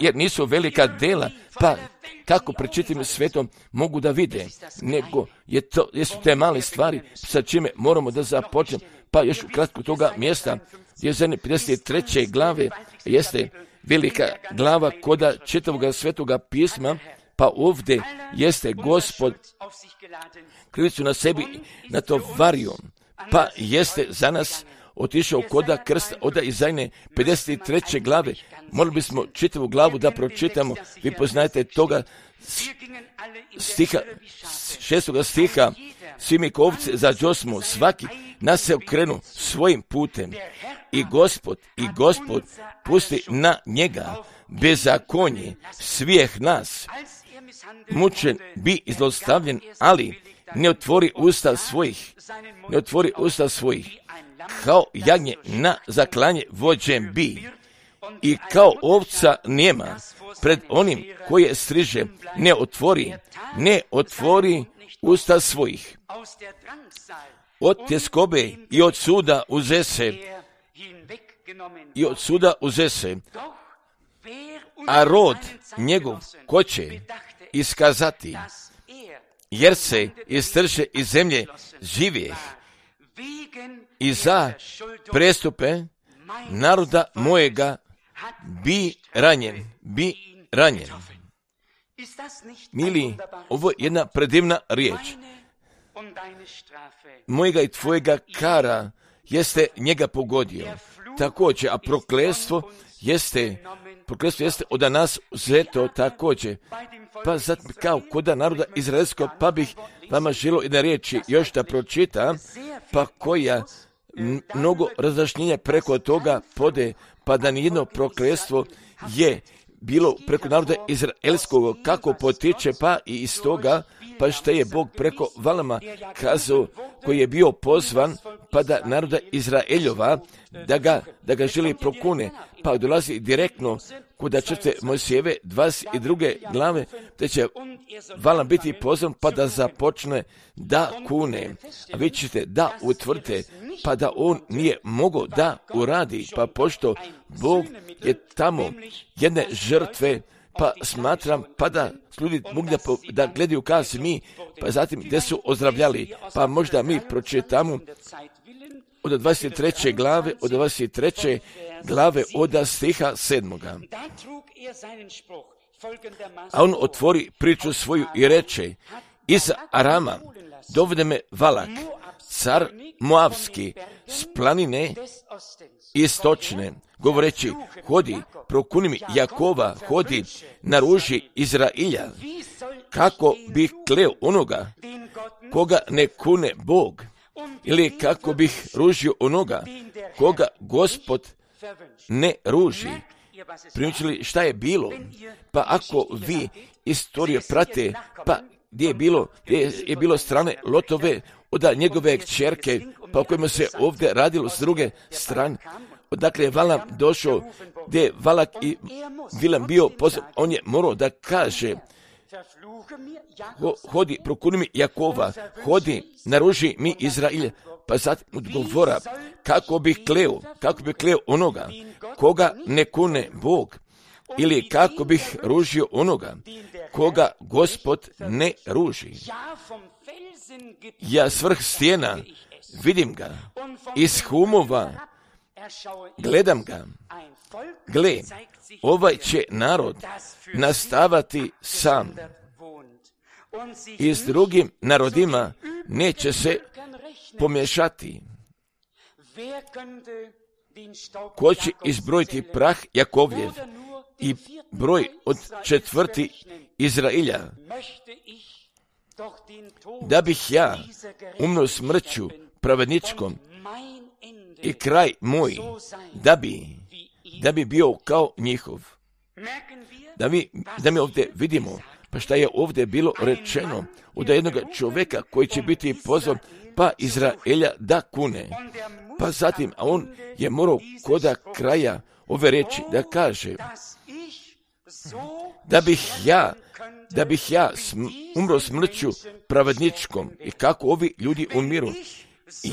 jer nisu velika dela, pa kako pred čitavim svetom mogu da vide, nego je to, jesu te male stvari sa čime moramo da započnemo, pa još ukratko toga mjesta, je za pedeset treće glave, jeste velika glava koda čitavoga svetoga pisma, Pa ovdje jeste Gospod krivicu na sebi natovario, pa jeste za nas otišao koda krsta, oda Izajne pedeset treće glave. Morali bismo čitavu glavu da pročitamo. Vi poznajete toga stiha, šestoga stiha. Svi mi ko ovce zađosmo, svaki nas se okrenu svojim putem. I Gospod, i Gospod pusti na njega bezakonje svih nas. Mučen bi i zlostavljen, ali ne otvori usta svojih, ne otvori usta svojih. Kao jagnje na zaklanje vođen bi i kao ovca nema pred onim koje striže, ne otvori, ne otvori usta svojih. Od tjeskobe i od suda uze se, i od suda uze se, a rod njegov ko će iskazati, jer se istrže iz zemlje živih i za prestupe naroda mojega bi ranjen, bi ranjen. Mili, ovo je jedna predivna riječ. Mojega i tvojega kara jeste njega pogodio. Također, a prokletstvo jeste, prokletstvo jeste od nas uzeto također. Pa sad kao koda naroda izraelskog, pa bih vama želio jedne riječi još da pročita, pa koja mnogo razjašnjenja preko toga pode, pa da nijedno prokletstvo je bilo preko naroda izraelskog, kako potiče, pa i iz toga, pa što je Bog preko Valama kazao, koji je bio pozvan, pa da naroda Izraeljova, da ga, da ga želi prokune, pa dolazi direktno kuda čete Mojsijeve dvadeset druge glave, da će Valam biti pozvan, pa da započne da kune. A vi ćete da utvrdite, pa da on nije mogao da uradi, pa pošto Bog je tamo jedne žrtve, pa smatram, pa da ljudi mogli da, da gledaju kao si mi, pa zatim gdje su ozdravljali, pa možda mi pročitamo od dvadeset treće glave, od dvadeset treće glave od stiha sedmoga. A on otvori priču svoju i reče, iz Arama dovede me Valak, car Moavski, s planine istočne, govoreći, hodi, prokuni mi Jakova, hodi, naruži Izrailja, kako bih kleo onoga koga ne kune Bog, ili kako bih ružio onoga koga Gospod ne ruži. Primičili šta je bilo? Pa ako vi istoriju prate, pa gdje je bilo, gdje je bilo strane Lotove, od njegove kćerke, pa o kojima se ovdje radilo s druge strane, odakle je Valam došao, gdje je Valak i Vilam bio pozvan, on je morao da kaže, Ho, hodi, prokuni mi Jakova, hodi, naruži mi Izrailja, pa zatim odgovora, kako bih kleo, kako bih kleo onoga, koga ne kune Bog, ili kako bih ružio onoga, koga Gospod ne ruži. Ja s vrh stijena vidim ga, iz humova gledam ga, gle, ovaj će narod nastavati sam i s drugim narodima neće se pomješati. Ko će izbrojiti prah Jakovljev i broj od četvrti Izrailja, da bih ja umro smrću pravedničkom i kraj moj, da bi, da bi bio kao njihov. Da mi, da mi ovdje vidimo, pa šta je ovdje bilo rečeno od jednog čovjeka koji će biti pozvan, pa Izraelja da kune. Pa zatim, a on je morao koda kraja ove reči da kaže, da bih ja, da bih ja sm, umro smrću pravedničkom i kako ovi ljudi umiru. I,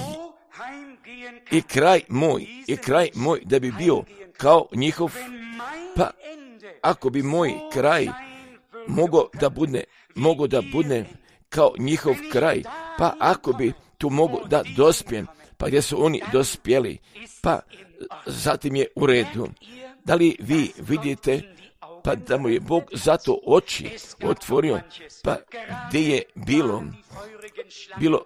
i kraj moj, i kraj moj da bi bio kao njihov, pa ako bi moj kraj mogao da bude, mogao da bude kao njihov kraj, pa ako bi tu mogo da dospijem, pa gdje su oni dospjeli, pa zatim je u redu. Da li vi vidite pa da mu je Bog zato oči otvorio, pa gdje je bilo, bilo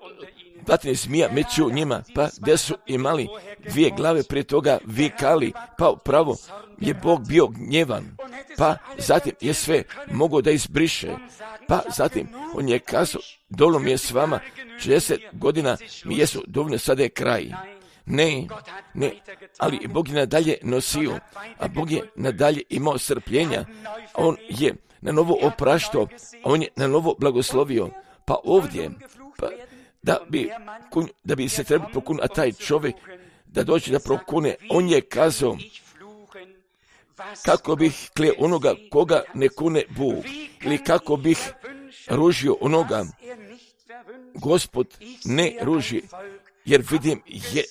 vatne zmija među njima, pa gdje su imali dvije glave prije toga vikali, pa upravo je Bog bio gnjevan, pa zatim je sve mogao da izbriše, pa zatim on je kazao, dovoljno mi je s vama, šezdeset godina mi jesu dovoljno, sada je kraj. Ne, ne, ali Bog je nadalje nosio, a Bog je nadalje imao strpljenja, on je na novo opraštao, on je na novo blagoslovio, pa ovdje, pa da bi, da bi se trebao prokunuti, a taj čovjek da dođe da prokune, on je kazao, kako bih kleo onoga koga ne kune Bog, ili kako bih ružio onoga, Gospod ne ruži, jer vidim je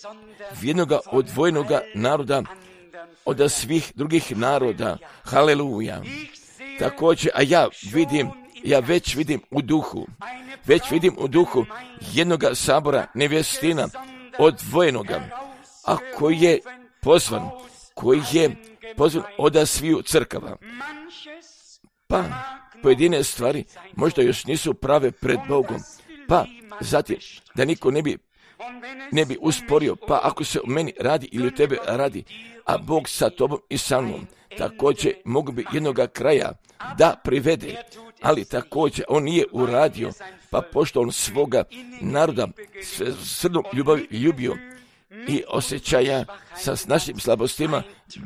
jednoga odvojenoga naroda od svih drugih naroda. Haleluja. Također, a ja vidim, ja već vidim u duhu, već vidim u duhu jednoga sabora nevjestina odvojenoga, a koji je pozvan, koji je pozvan od sviju crkava. Pa pojedine stvari možda još nisu prave pred Bogom, pa zatim da niko ne bi ne bi usporio, pa ako se u meni radi ili u tebe radi, a Bog sa tobom i sa mnom, također mogu bi jednoga kraja da privede, ali također on nije uradio, pa pošto on svoga naroda srdnom ljubavi ljubio i osjećaja sa našim slabostima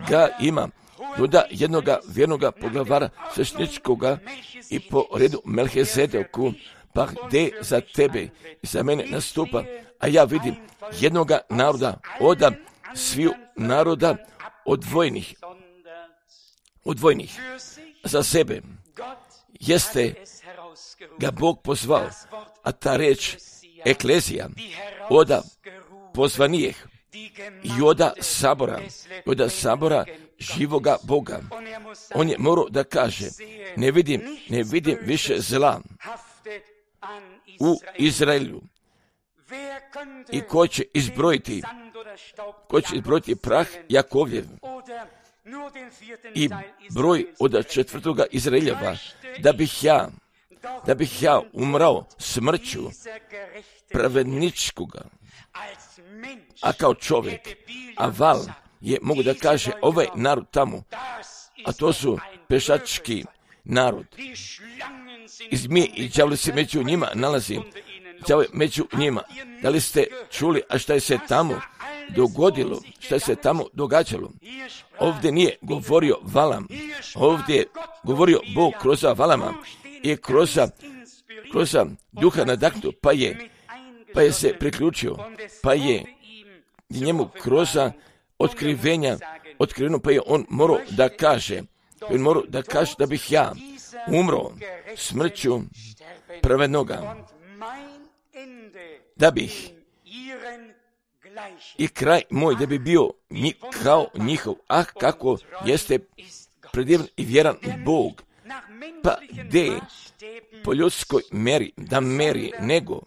ga ima, doda jednoga vjernoga poglavara svešteničkoga i po redu Melchizedeku, pa gdje za tebe i za mene nastupa, a ja vidim jednoga naroda od sviju naroda odvojenih, odvojenih za sebe, jeste ga Bog pozvao, a ta reč eklezija, oda pozvanijeh i oda sabora, oda sabora živoga Boga. On je morao da kaže, ne vidim, ne vidim više zla u Izraelju. I ko će izbrojiti, ko će izbrojiti prah Jakovljev i broj od četvrtoga Izraeljeva, da bih ja, da bih ja umrao smrću pravedničkoga, a kao čovjek, a val je, mogu da kaže, ovaj narod tamo, a to su pešački narod. I zmije i đavle se među njima nalazi, đavle među njima. Da li ste čuli, a šta je se tamo dogodilo, šta je se tamo događalo? Ovdje nije govorio Valam, ovdje je govorio Bog kroz Valama i kroz, kroz duha nadahnuto, pa je, pa je se priključio, pa je njemu kroz otkrivenja otkriveno, pa je on morao da kaže, on morao da kaže da bih ja umro smrću pravednoga, da bih i kraj moj da bi bio ni, kao njihov, ah kako jeste predivan i vjeran Bog, pa gdje po ljudskoj meri da meri, nego,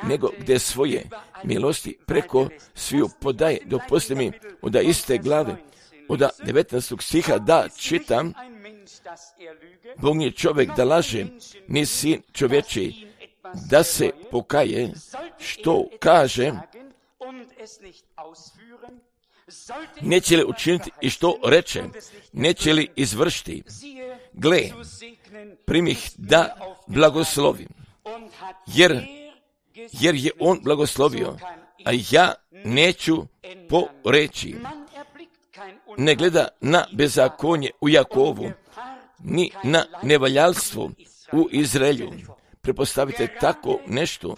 nego gdje svoje milosti preko sviju podaje. Dopustite mi od iste glave, od devetnaestog stiha da čitam, Bog nije čovjek da laže, ni sin čovječi da se pokaje, što kaže, neće li učiniti i što reče, neće li izvršiti. Gle, primih da blagoslovim, jer, jer je on blagoslovio, a ja neću poreći. Ne gleda na bezakonje u Jakovu, ni na nevaljalstvo u Izraelju. Prepostavite tako nešto,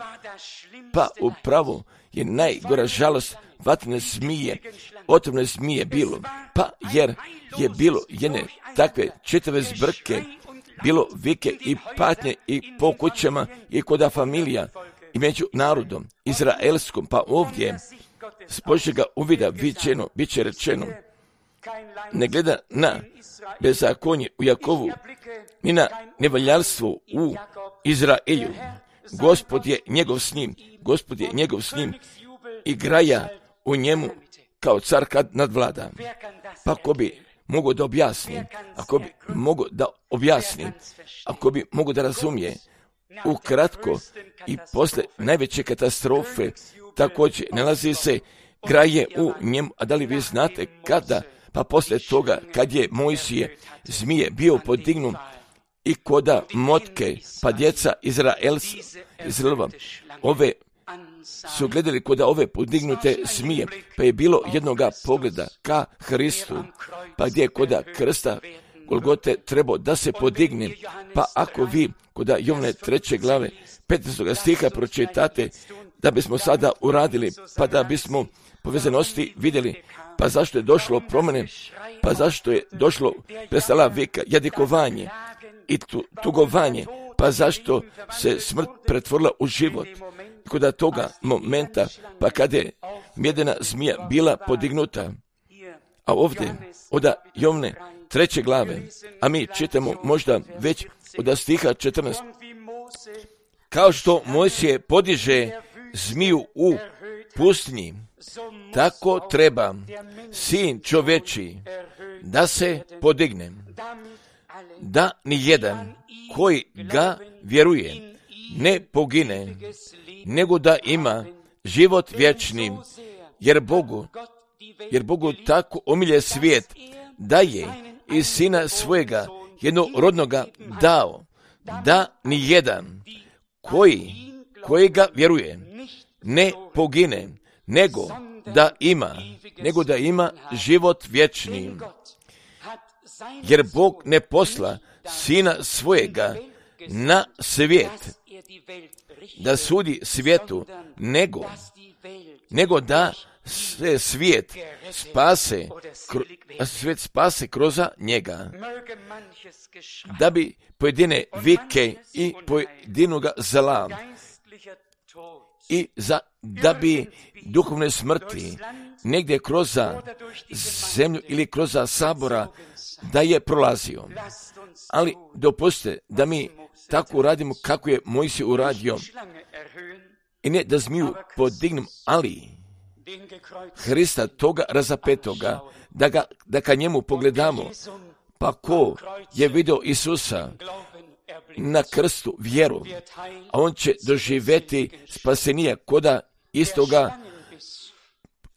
pa upravo je najgora žalost vatrene zmije, otrovne zmije bilo, pa jer je bilo jedne takve čitave zbrke, bilo vike i patnje i po kućama i koda familija i među narodom izraelskom, pa ovdje s Božjega uvida viđeno, bit će rečeno, ne gleda na bezakonje u Jakovu, ni na nevaljalstvo u Izraelju. Gospod je njegov s njim, Gospod je njegov s njim i graja u njemu kao car kad nadvlada. Pa ko bi mogu da objasni, ako bi mogu da objasni, ako bi mogu da razumije, ukratko i posle najveće katastrofe također nalazi se graje u njemu. A da li vi znate kada? Pa posle toga kad je Mojsije zmije bio podignut i koda motke, pa djeca Izraelova, ove su gledali koda ove podignute zmije, pa je bilo jednoga pogleda ka Hristu, pa gdje je koda krsta Golgote trebao da se podigne. Pa ako vi koda Jovane treće glave petnaestog stiha pročitate, da bismo sada uradili, pa da bismo povezanosti vidjeli, pa zašto je došlo promjene, pa zašto je došlo prestala vika, jadikovanje i tu, tugovanje, pa zašto se smrt pretvorila u život. Kod toga momenta, pa kada je mjedena zmija bila podignuta, a ovdje od Jovane treće glave, a mi čitamo možda već od stiha četrnaest, kao što Mojsije podiže zmiju u pustinji, tako treba sin čoveči da se podigne, da ni jedan koji ga vjeruje ne pogine, nego da ima život vječni, jer Bogu, jer Bogu tako omilje svijet, da je i sina svojega jednorodnoga dao, da ni jedan koji, koji ga vjeruje ne pogine, nego da ima, nego da ima život vječni. Jer Bog ne posla sina svojega na svijet, da sudi svijetu, nego, nego da se svijet spase, kro, svijet spase kroz njega, da bi pojedine vike i pojedinoga zla i za, da bi duhovne smrti negdje kroz zemlju ili kroz sabora da je prolazio. Ali dopustite da mi tako uradimo kako je Mojsije uradio. I ne da zmiju podignem, ali Hrista toga razapetoga, da, ga, da ka njemu pogledamo. Pa ko je vidio Isusa na krstu vjeru, a on će doživjeti spasenija koda istoga,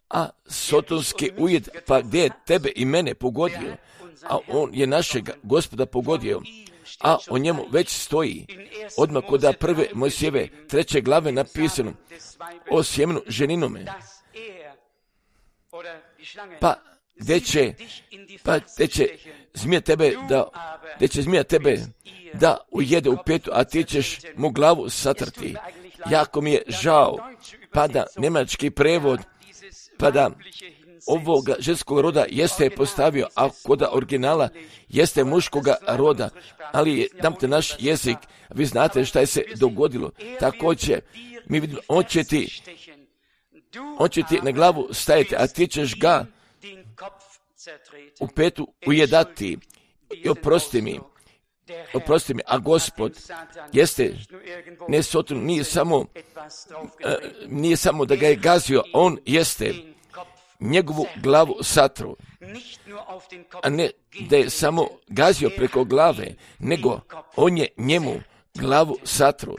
a sotonski ujed, pa gdje je tebe i mene pogodio, a on je našeg Gospoda pogodio, a o njemu već stoji odmah koda prve Mojsijeve treće glave napisano o sjemenu ženinome. Pa gdje će, pa gdje će zmija tebe da, gdje će zmija tebe da ujede u petu, a ti ćeš mu glavu satrti. Jako mi je žao, pa da njemački prevod, pa da ovoga ženskog roda jeste postavio, a koda originala jeste muškoga roda, ali je, damte naš jezik, vi znate šta je se dogodilo. Također, mi vidimo, on će ti, on će ti na glavu stajati, a ti ćeš ga u petu ujedati. I oprosti mi, oprosti mi, a Gospod jeste, ne Sotonu, nije samo, uh, nije samo da ga je gazio, on jeste njegovu glavu satru, a ne da je samo gazio preko glave, nego on je njemu glavu satru.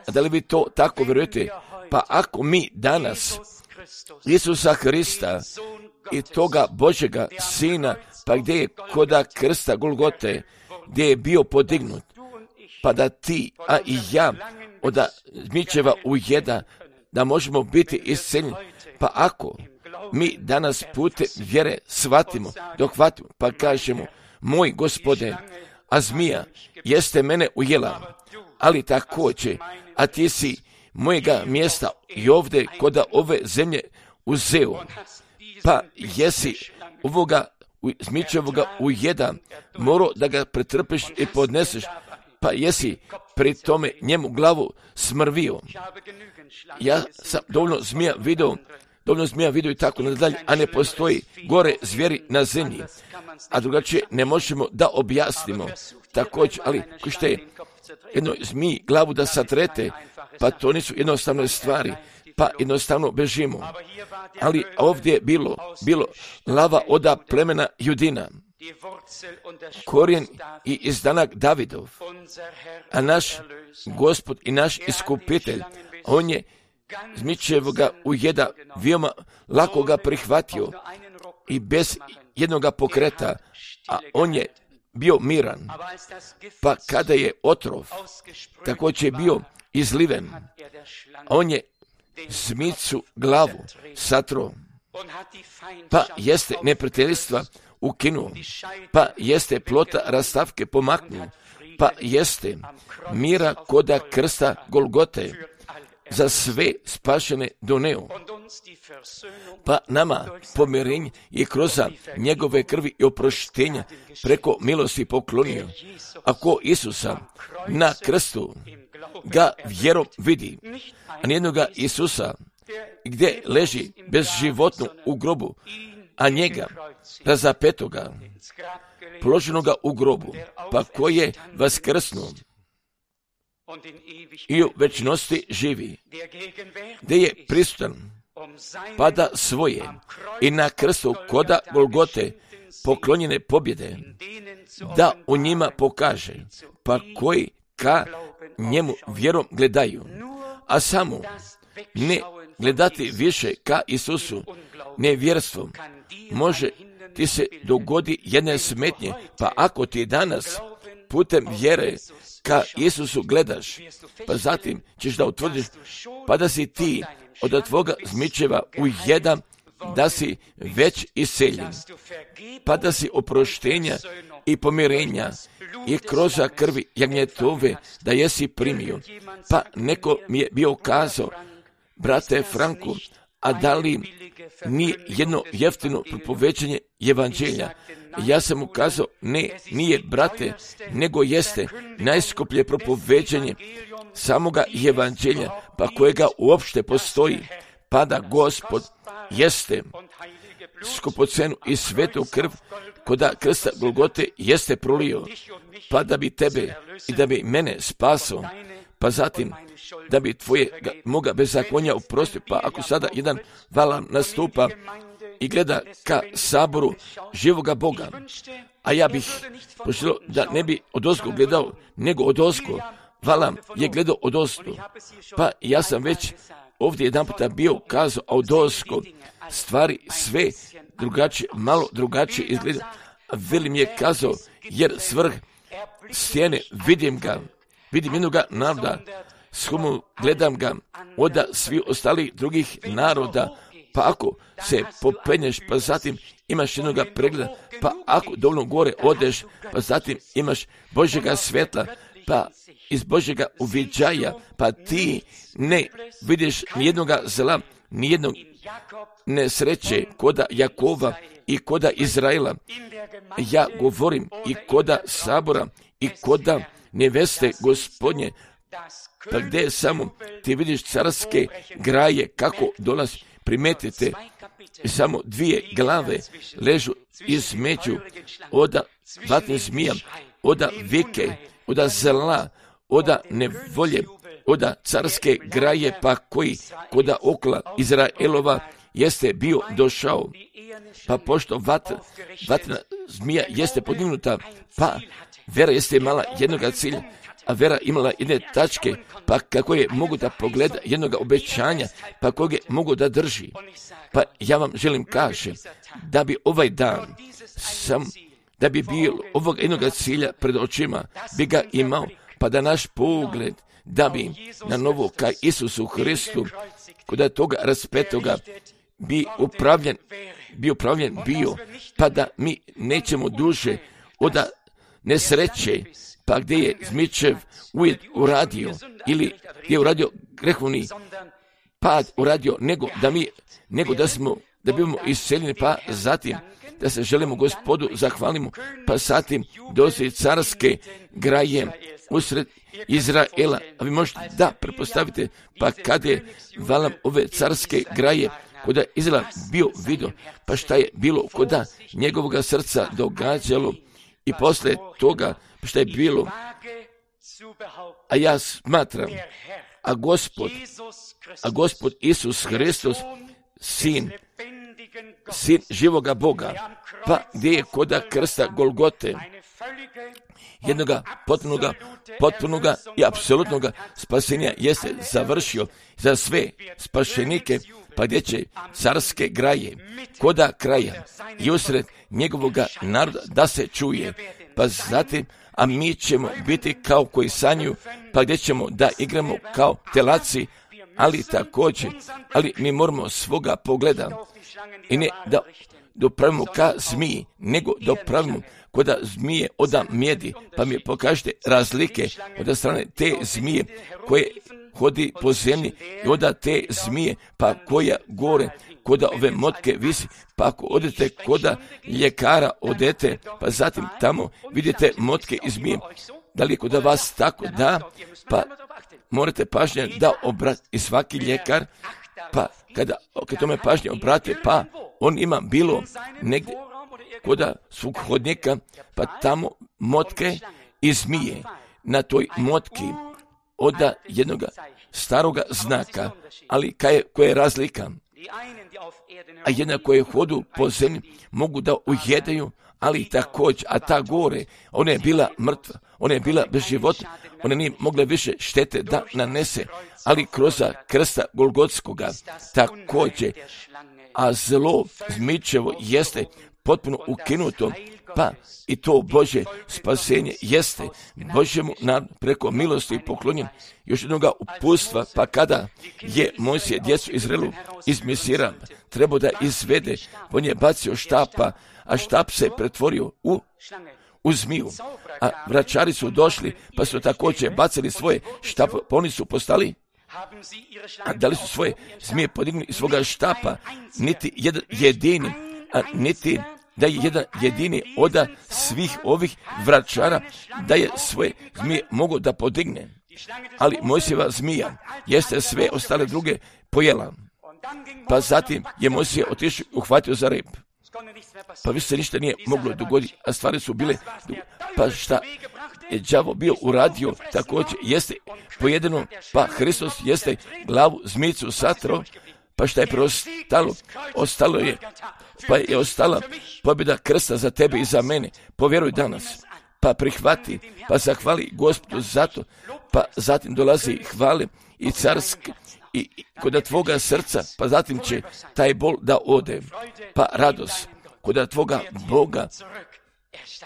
A da li vi to tako vjerujete? Pa ako mi danas Isusa Hrista i toga Božjega Sina, pa gdje je koda krsta Golgote, gdje je bio podignut, pa da ti, a i ja, od zmičeva ujeda, da možemo biti isceljeni, pa ako mi danas putem vjere shvatimo, dohvatimo, pa kažemo, moj Gospode, a zmija jeste mene ujela, ali također, a ti si mojega mjesta i ovdje koda ove zemlje uzeo, pa jesi ovoga zmičevoga ujeda morao da ga pretrpiš i podneseš, pa jesi pri tome njemu glavu smrvio. Ja sam dovoljno zmija vidio, dovoljno zmija vidio i tako nadalje, a ne postoji gore zvijeri na zemlji, a drugačije ne možemo da objasnimo. Također, ali ko što je jednoj zmiji glavu da satrete, pa to nisu jednostavne stvari, pa jednostavno bežimo. Ali ovdje je bilo, bilo lava oda plemena Judina, korijen i izdanak Davidov, a naš Gospod i naš iskupitelj, on je zmičevoga ujeda veoma lako ga prihvatio i bez jednoga pokreta, a on je bio miran. Pa kada je otrov također bio izliven, on je zmicu glavu satro, pa jeste neprijateljstva ukinuo, pa jeste plota rastavke pomaknuo, pa jeste mira koda krsta Golgote za sve spašene doneo. Pa nama pomirenje je kroz njegove krvi i oproštenja preko milosti poklonio. Ako Isusa na krstu ga vjerom vidi, a nijednoga Isusa gdje leži bezživotno u grobu, a njega razapetoga, položenoga u grobu, pa ko je vaskrsnuo i u večnosti živi, gdje je prisutan, pa da svoje i na krstu koda Golgote poklonjene pobjede, da u njima pokaže, pa koji ka njemu vjerom gledaju, a samo ne gledati više ka Isusu nevjerstvom, može ti se dogodi jedne smetnje, pa ako ti danas putem vjere ka Isusu gledaš, pa zatim ćeš da utvrdiš, pa da si ti od tvoga zmičeva ujedan, da si već iseljen, pa da si oproštenja i pomirenja i kroz krvi jagnjetove da jesi primio. Pa neko mi je bio kazao, brate Franku, a da li nije jedno jeftino propoveđenje evanđelja? Ja sam mu kazao, ne, nije brate, nego jeste najskuplje propoveđenje samoga evanđelja, pa kojega uopšte postoji, pa da Gospod jeste skupocenu i svetu krv koda krsta Golgote jeste prolio, pa da bi tebe i da bi mene spasao, pa zatim da bi tvoje moga bezakonja oprostio. Pa ako sada jedan valam nastupa i gleda ka saboru živoga Boga, a ja bih poželio da ne bi odozgo gledao, nego odozgo, valam je gledao odozgo, pa ja sam već ovdje jedan puta bio kazao, a odozgo stvari sve drugačije, malo drugačije izgleda. Veli mi je kazao, jer svrh stijene vidim ga, vidim jednoga naroda, skumu gledam ga od svi ostalih drugih naroda, pa ako se popenješ, pa zatim imaš jednoga pregleda, pa ako dovoljno gore odeš, pa zatim imaš Božjega svetla, pa iz Božjega uviđaja, pa ti ne vidiš nijednoga zla, nijednog nesreće koda Jakova i koda Izraela. Ja govorim i koda sabora i koda neveste Gospodnje, pa gdje samo ti vidiš carske graje kako dolazi. Primetite, samo dvije glave ležu između oda vatne zmija, oda vike, oda zla, oda nevolje, oda carske graje, pa koji koda okla Izraelova jeste bio došao. Pa pošto vat, vatna zmija jeste podignuta, pa vera jeste imala jednoga cilja, a vera imala jedne tačke, pa kako je mogu da pogleda jednoga obećanja, pa kog je mogu da drži. Pa ja vam želim kažem, da bi ovaj dan sam, da bi bilo ovog jednoga cilja pred očima, bi ga imao, pa da naš pogled, da bi na novo ka Isusu Hristu, kod toga raspetoga, bi upravljen, bi upravljen bio, pa da mi nećemo duže od nesreće, pa gdje je zmičev ujed uradio, ili gdje je uradio grehovni pad uradio, nego da mi, nego da smo, da bimo iseljeni, pa zatim da se želimo Gospodu zahvalimo, pa zatim dozi carske graje usred Izraela. A vi možete da prepostavite, pa kad je valam ove carske graje koda Izrael bio vidio, pa šta je bilo koda njegovog srca događalo i posle toga šta je bilo A ja smatram, a Gospod, a Gospod Isus Hristos, sin, sin živoga Boga, pa gdje je koda krsta Golgote, jednoga potpunoga, potpunoga i apsolutnoga spasenja jeste završio za sve spašenike, pa gdje će carske graje, koda kraja i usred njegovoga naroda da se čuje, pa zatim, a mi ćemo biti kao koji sanjuju, pa gdje ćemo da igramo kao telaci, ali također, ali mi moramo svoga pogleda i ne da dopravimo ka zmiji, nego dopravimo koda zmije oda mjedi, pa mi pokažete razlike od strane te zmije koje hodi po zemlji i oda te zmije, pa koja gore, koda ove motke visi, pa ako odete koda ljekara odete, pa zatim tamo vidite motke i zmije. Da li je koda vas tako da, pa morate pažnje da obrati i svaki ljekar, pa kada, kada tome pažnje obrate, pa on ima bilo negdje koda svog hodnika, pa tamo motke i zmije. Na toj motki oda jednog staroga znaka, ali kaj je, koja je razlika? A jedna koje hodu po zemlji mogu da ujedaju, ali također, a ta gore, ona je bila mrtva, ona je bila bez života, ona nije mogla više štete da nanese, ali kroz krsta Golgotskoga također, a zlo zmičevo jeste potpuno ukinuto, pa i to Božje spasenje jeste Božjemu narodu preko milosti i poklonjen još jednoga upustva, pa kada je Mojsije djecu Izraelu iz Misira trebao da izvede, on je bacio štapa, a štap se pretvorio u, u zmiju, a vračari su došli, pa su također bacili svoje štap, pa oni su postali, a da li su svoje zmije podigli iz svoga štapa, niti jedan jedini, a niti da je jedan jedini oda svih ovih vračara, da je svoje zmije mogo da podigne. Ali Mojsijeva zmija jeste sve ostale druge pojela. Pa zatim je Mojsije otišao i uhvatio za rep. Pa više se ništa nije moglo dogoditi, a stvari su bile, pa šta je đavo bio uradio, također jeste pojedeno, pa Hristos jeste glavu zmijicu satro, pa šta je preostalo? Ostalo je, pa je ostala pobjeda krsta za tebe i za mene. Povjeruj danas, pa prihvati, pa zahvali Gospodu za to, pa zatim dolazi hvale i carske i, i kod tvoga srca, pa zatim će taj bol da ode, pa radost kod tvoga Boga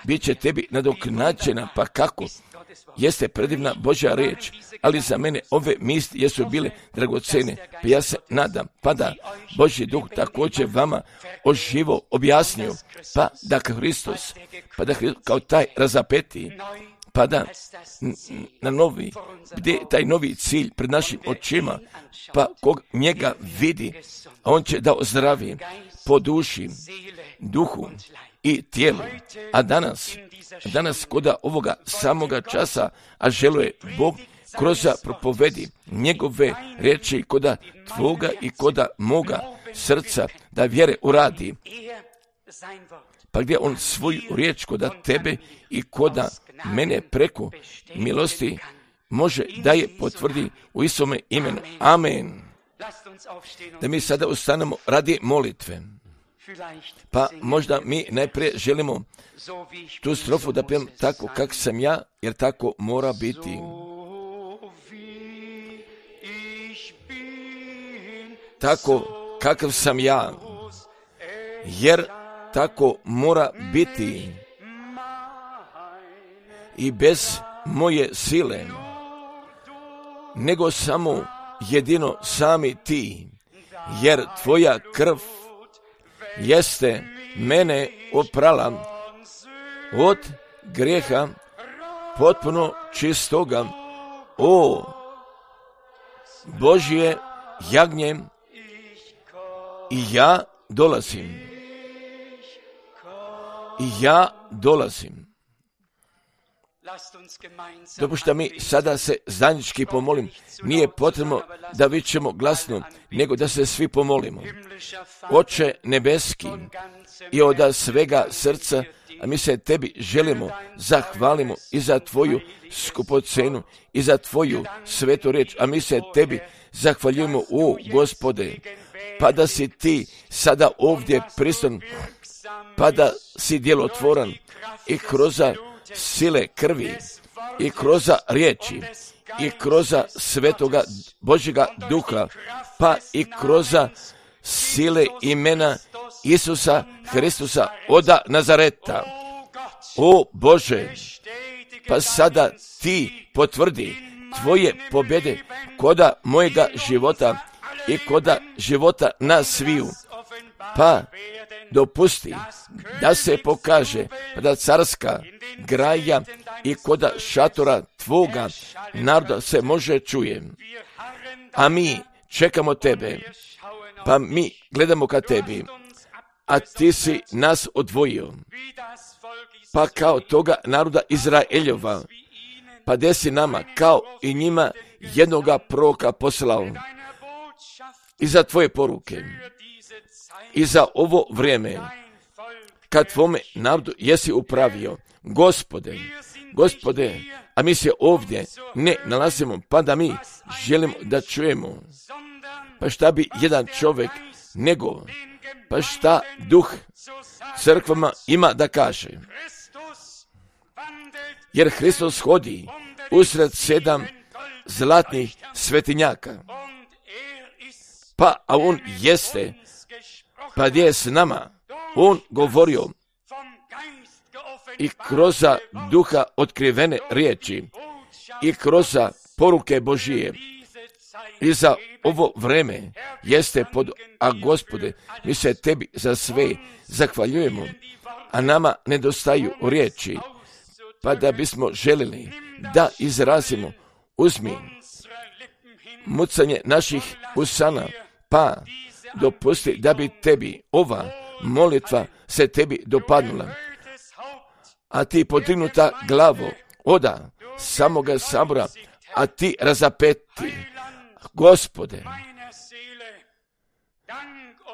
bit će tebi nadoknađena, pa kako? Jeste predivna Božja riječ, ali za mene ove misli jesu bile dragocene, pa ja se nadam, pa da Božji duh također vama oživo objasnio, pa da Hristos, pa da Hristos kao taj razapeti, pa da na novi, gdje taj novi cilj pred našim očima, pa kog njega vidi, a on će da ozdravi po duši, duhu i tijelu. A danas, danas koda ovoga samoga časa, a želuje Bog kroz propovedi njegove riječi koda tvoga i koda moga srca da vjere uradi. Pa gdje on svoju riječ koda tebe i koda mene preko milosti može da je potvrdi u Isome imenu. Amen. Da mi sada ustanemo radi molitve. Pa možda mi najprije želimo tu strofu da pijem tako kak sam ja, jer tako mora biti. Tako kakav sam ja, jer tako mora biti. I bez moje sile, nego samo jedino sami ti, jer tvoja krv jeste mene oprala od grijeha potpuno čistoga. O Božje jagnje, i ja dolazim, i ja dolazim. Dopušta mi sada se zajednički pomolim. Nije potrebno da vičemo glasno, nego da se svi pomolimo. Oče nebeski, i od svega srca, a mi se tebi želimo, zahvalimo i za tvoju skupocenu i za tvoju svetu riječ, a mi se tebi zahvaljujemo, o Gospode, pa da si ti sada ovdje prisutan, pa da si djelotvoran i kroz sile krvi i kroz riječi i kroz svetoga Božjega duha, pa i kroz sile imena Isusa Hristusa od Nazareta. O Bože, pa sada ti potvrdi tvoje pobjede koda mojega života i koda života nas sviju, pa dopusti da se pokaže da carska graja i koda šatora tvoga naroda se može čuje. A mi čekamo tebe, pa mi gledamo ka tebi, a ti si nas odvojio, pa kao toga naroda Izraeljova, pa desi nama kao i njima jednoga proroka poslao i za tvoje poruke i za ovo vrijeme kad tvome narodu jesi upravio. Gospode, Gospode, a mi se ovdje ne nalazimo, pa da mi želimo da čujemo. Pa šta bi jedan čovjek nego, pa šta duh crkvama ima da kaže. Jer Hristos hodi usred sedam zlatnih svetinjaka, pa a on jeste, pa gdje je s nama, on govorio i kroz duha otkrivene riječi i kroz poruke Božije. I za ovo vreme jeste pod, a Gospode, mi se tebi za sve zahvaljujemo, a nama nedostaju riječi, pa da bismo željeli da izrazimo, uzmi mucanje naših usana, pa dopusti da bi tebi ova molitva se tebi dopadnula. A ti podignuta glavo oda samoga sabora, a ti razapeti, Gospode,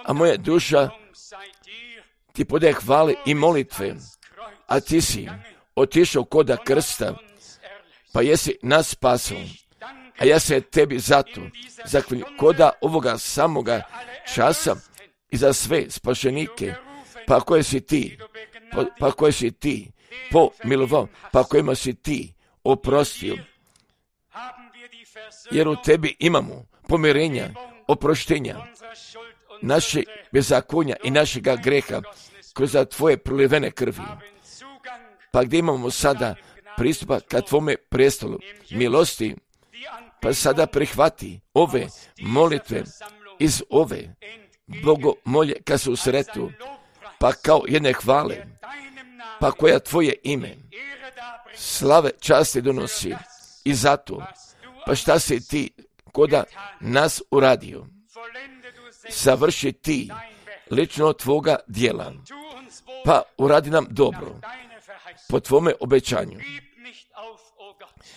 a moja duša ti podaje hvale i molitve, a ti si otišao koda krsta, pa jesi nas spasao, a ja se tebi zato zahvaljujem koda ovoga samoga časa i za sve spašenike, pa koje si ti, pa, pa koje si ti pomilovao, pa kojima si ti oprostio. Jer u tebi imamo pomirenja, oproštenja, naše bezakonja i našega greha kroz tvoje prolivene krvi. Pa gdje imamo sada pristupa ka tvome prestolu milosti, pa sada prihvati ove molitve iz ove bogomolje ka su sretu, pa kao jedne hvale, pa koja tvoje ime slave časti donosi. I zato, pa šta si ti koda nas uradio? Savrši ti lično tvoga dijela, pa uradi nam dobro po tvome obećanju.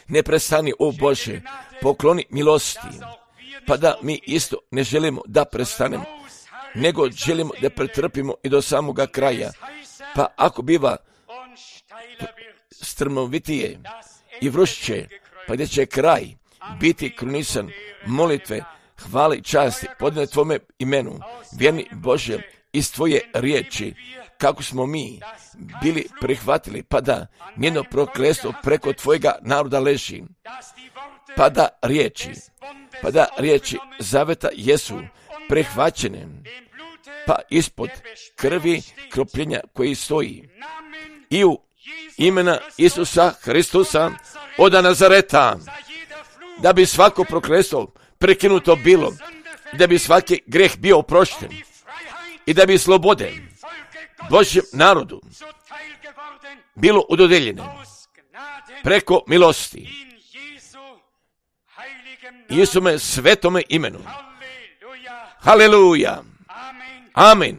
Ne prestani, o Bože, pokloni milosti, pa da mi isto ne želimo da prestanemo, nego želimo da pretrpimo i do samoga kraja. Pa ako biva strmovitije i vrušće, pa gdje će kraj biti krunisan molitve, hvale i časti podane tvome imenu, vjerni Bože, iz tvoje riječi, kako smo mi bili prihvatili, pa da njeno prokletstvo preko tvojega naroda leži, pa da riječi, pa da riječi zaveta jesu prihvaćene, pa ispod krvi kropljenja koji stoji i u imena Isusa Hristusa od Nazareta, da bi svako prokletstvo prekinuto bilo, da bi svaki greh bio oprošten i da bi slobode Božjem narodu bilo udodeljene preko milosti Isume svetome imenu. Haleluja. Amen.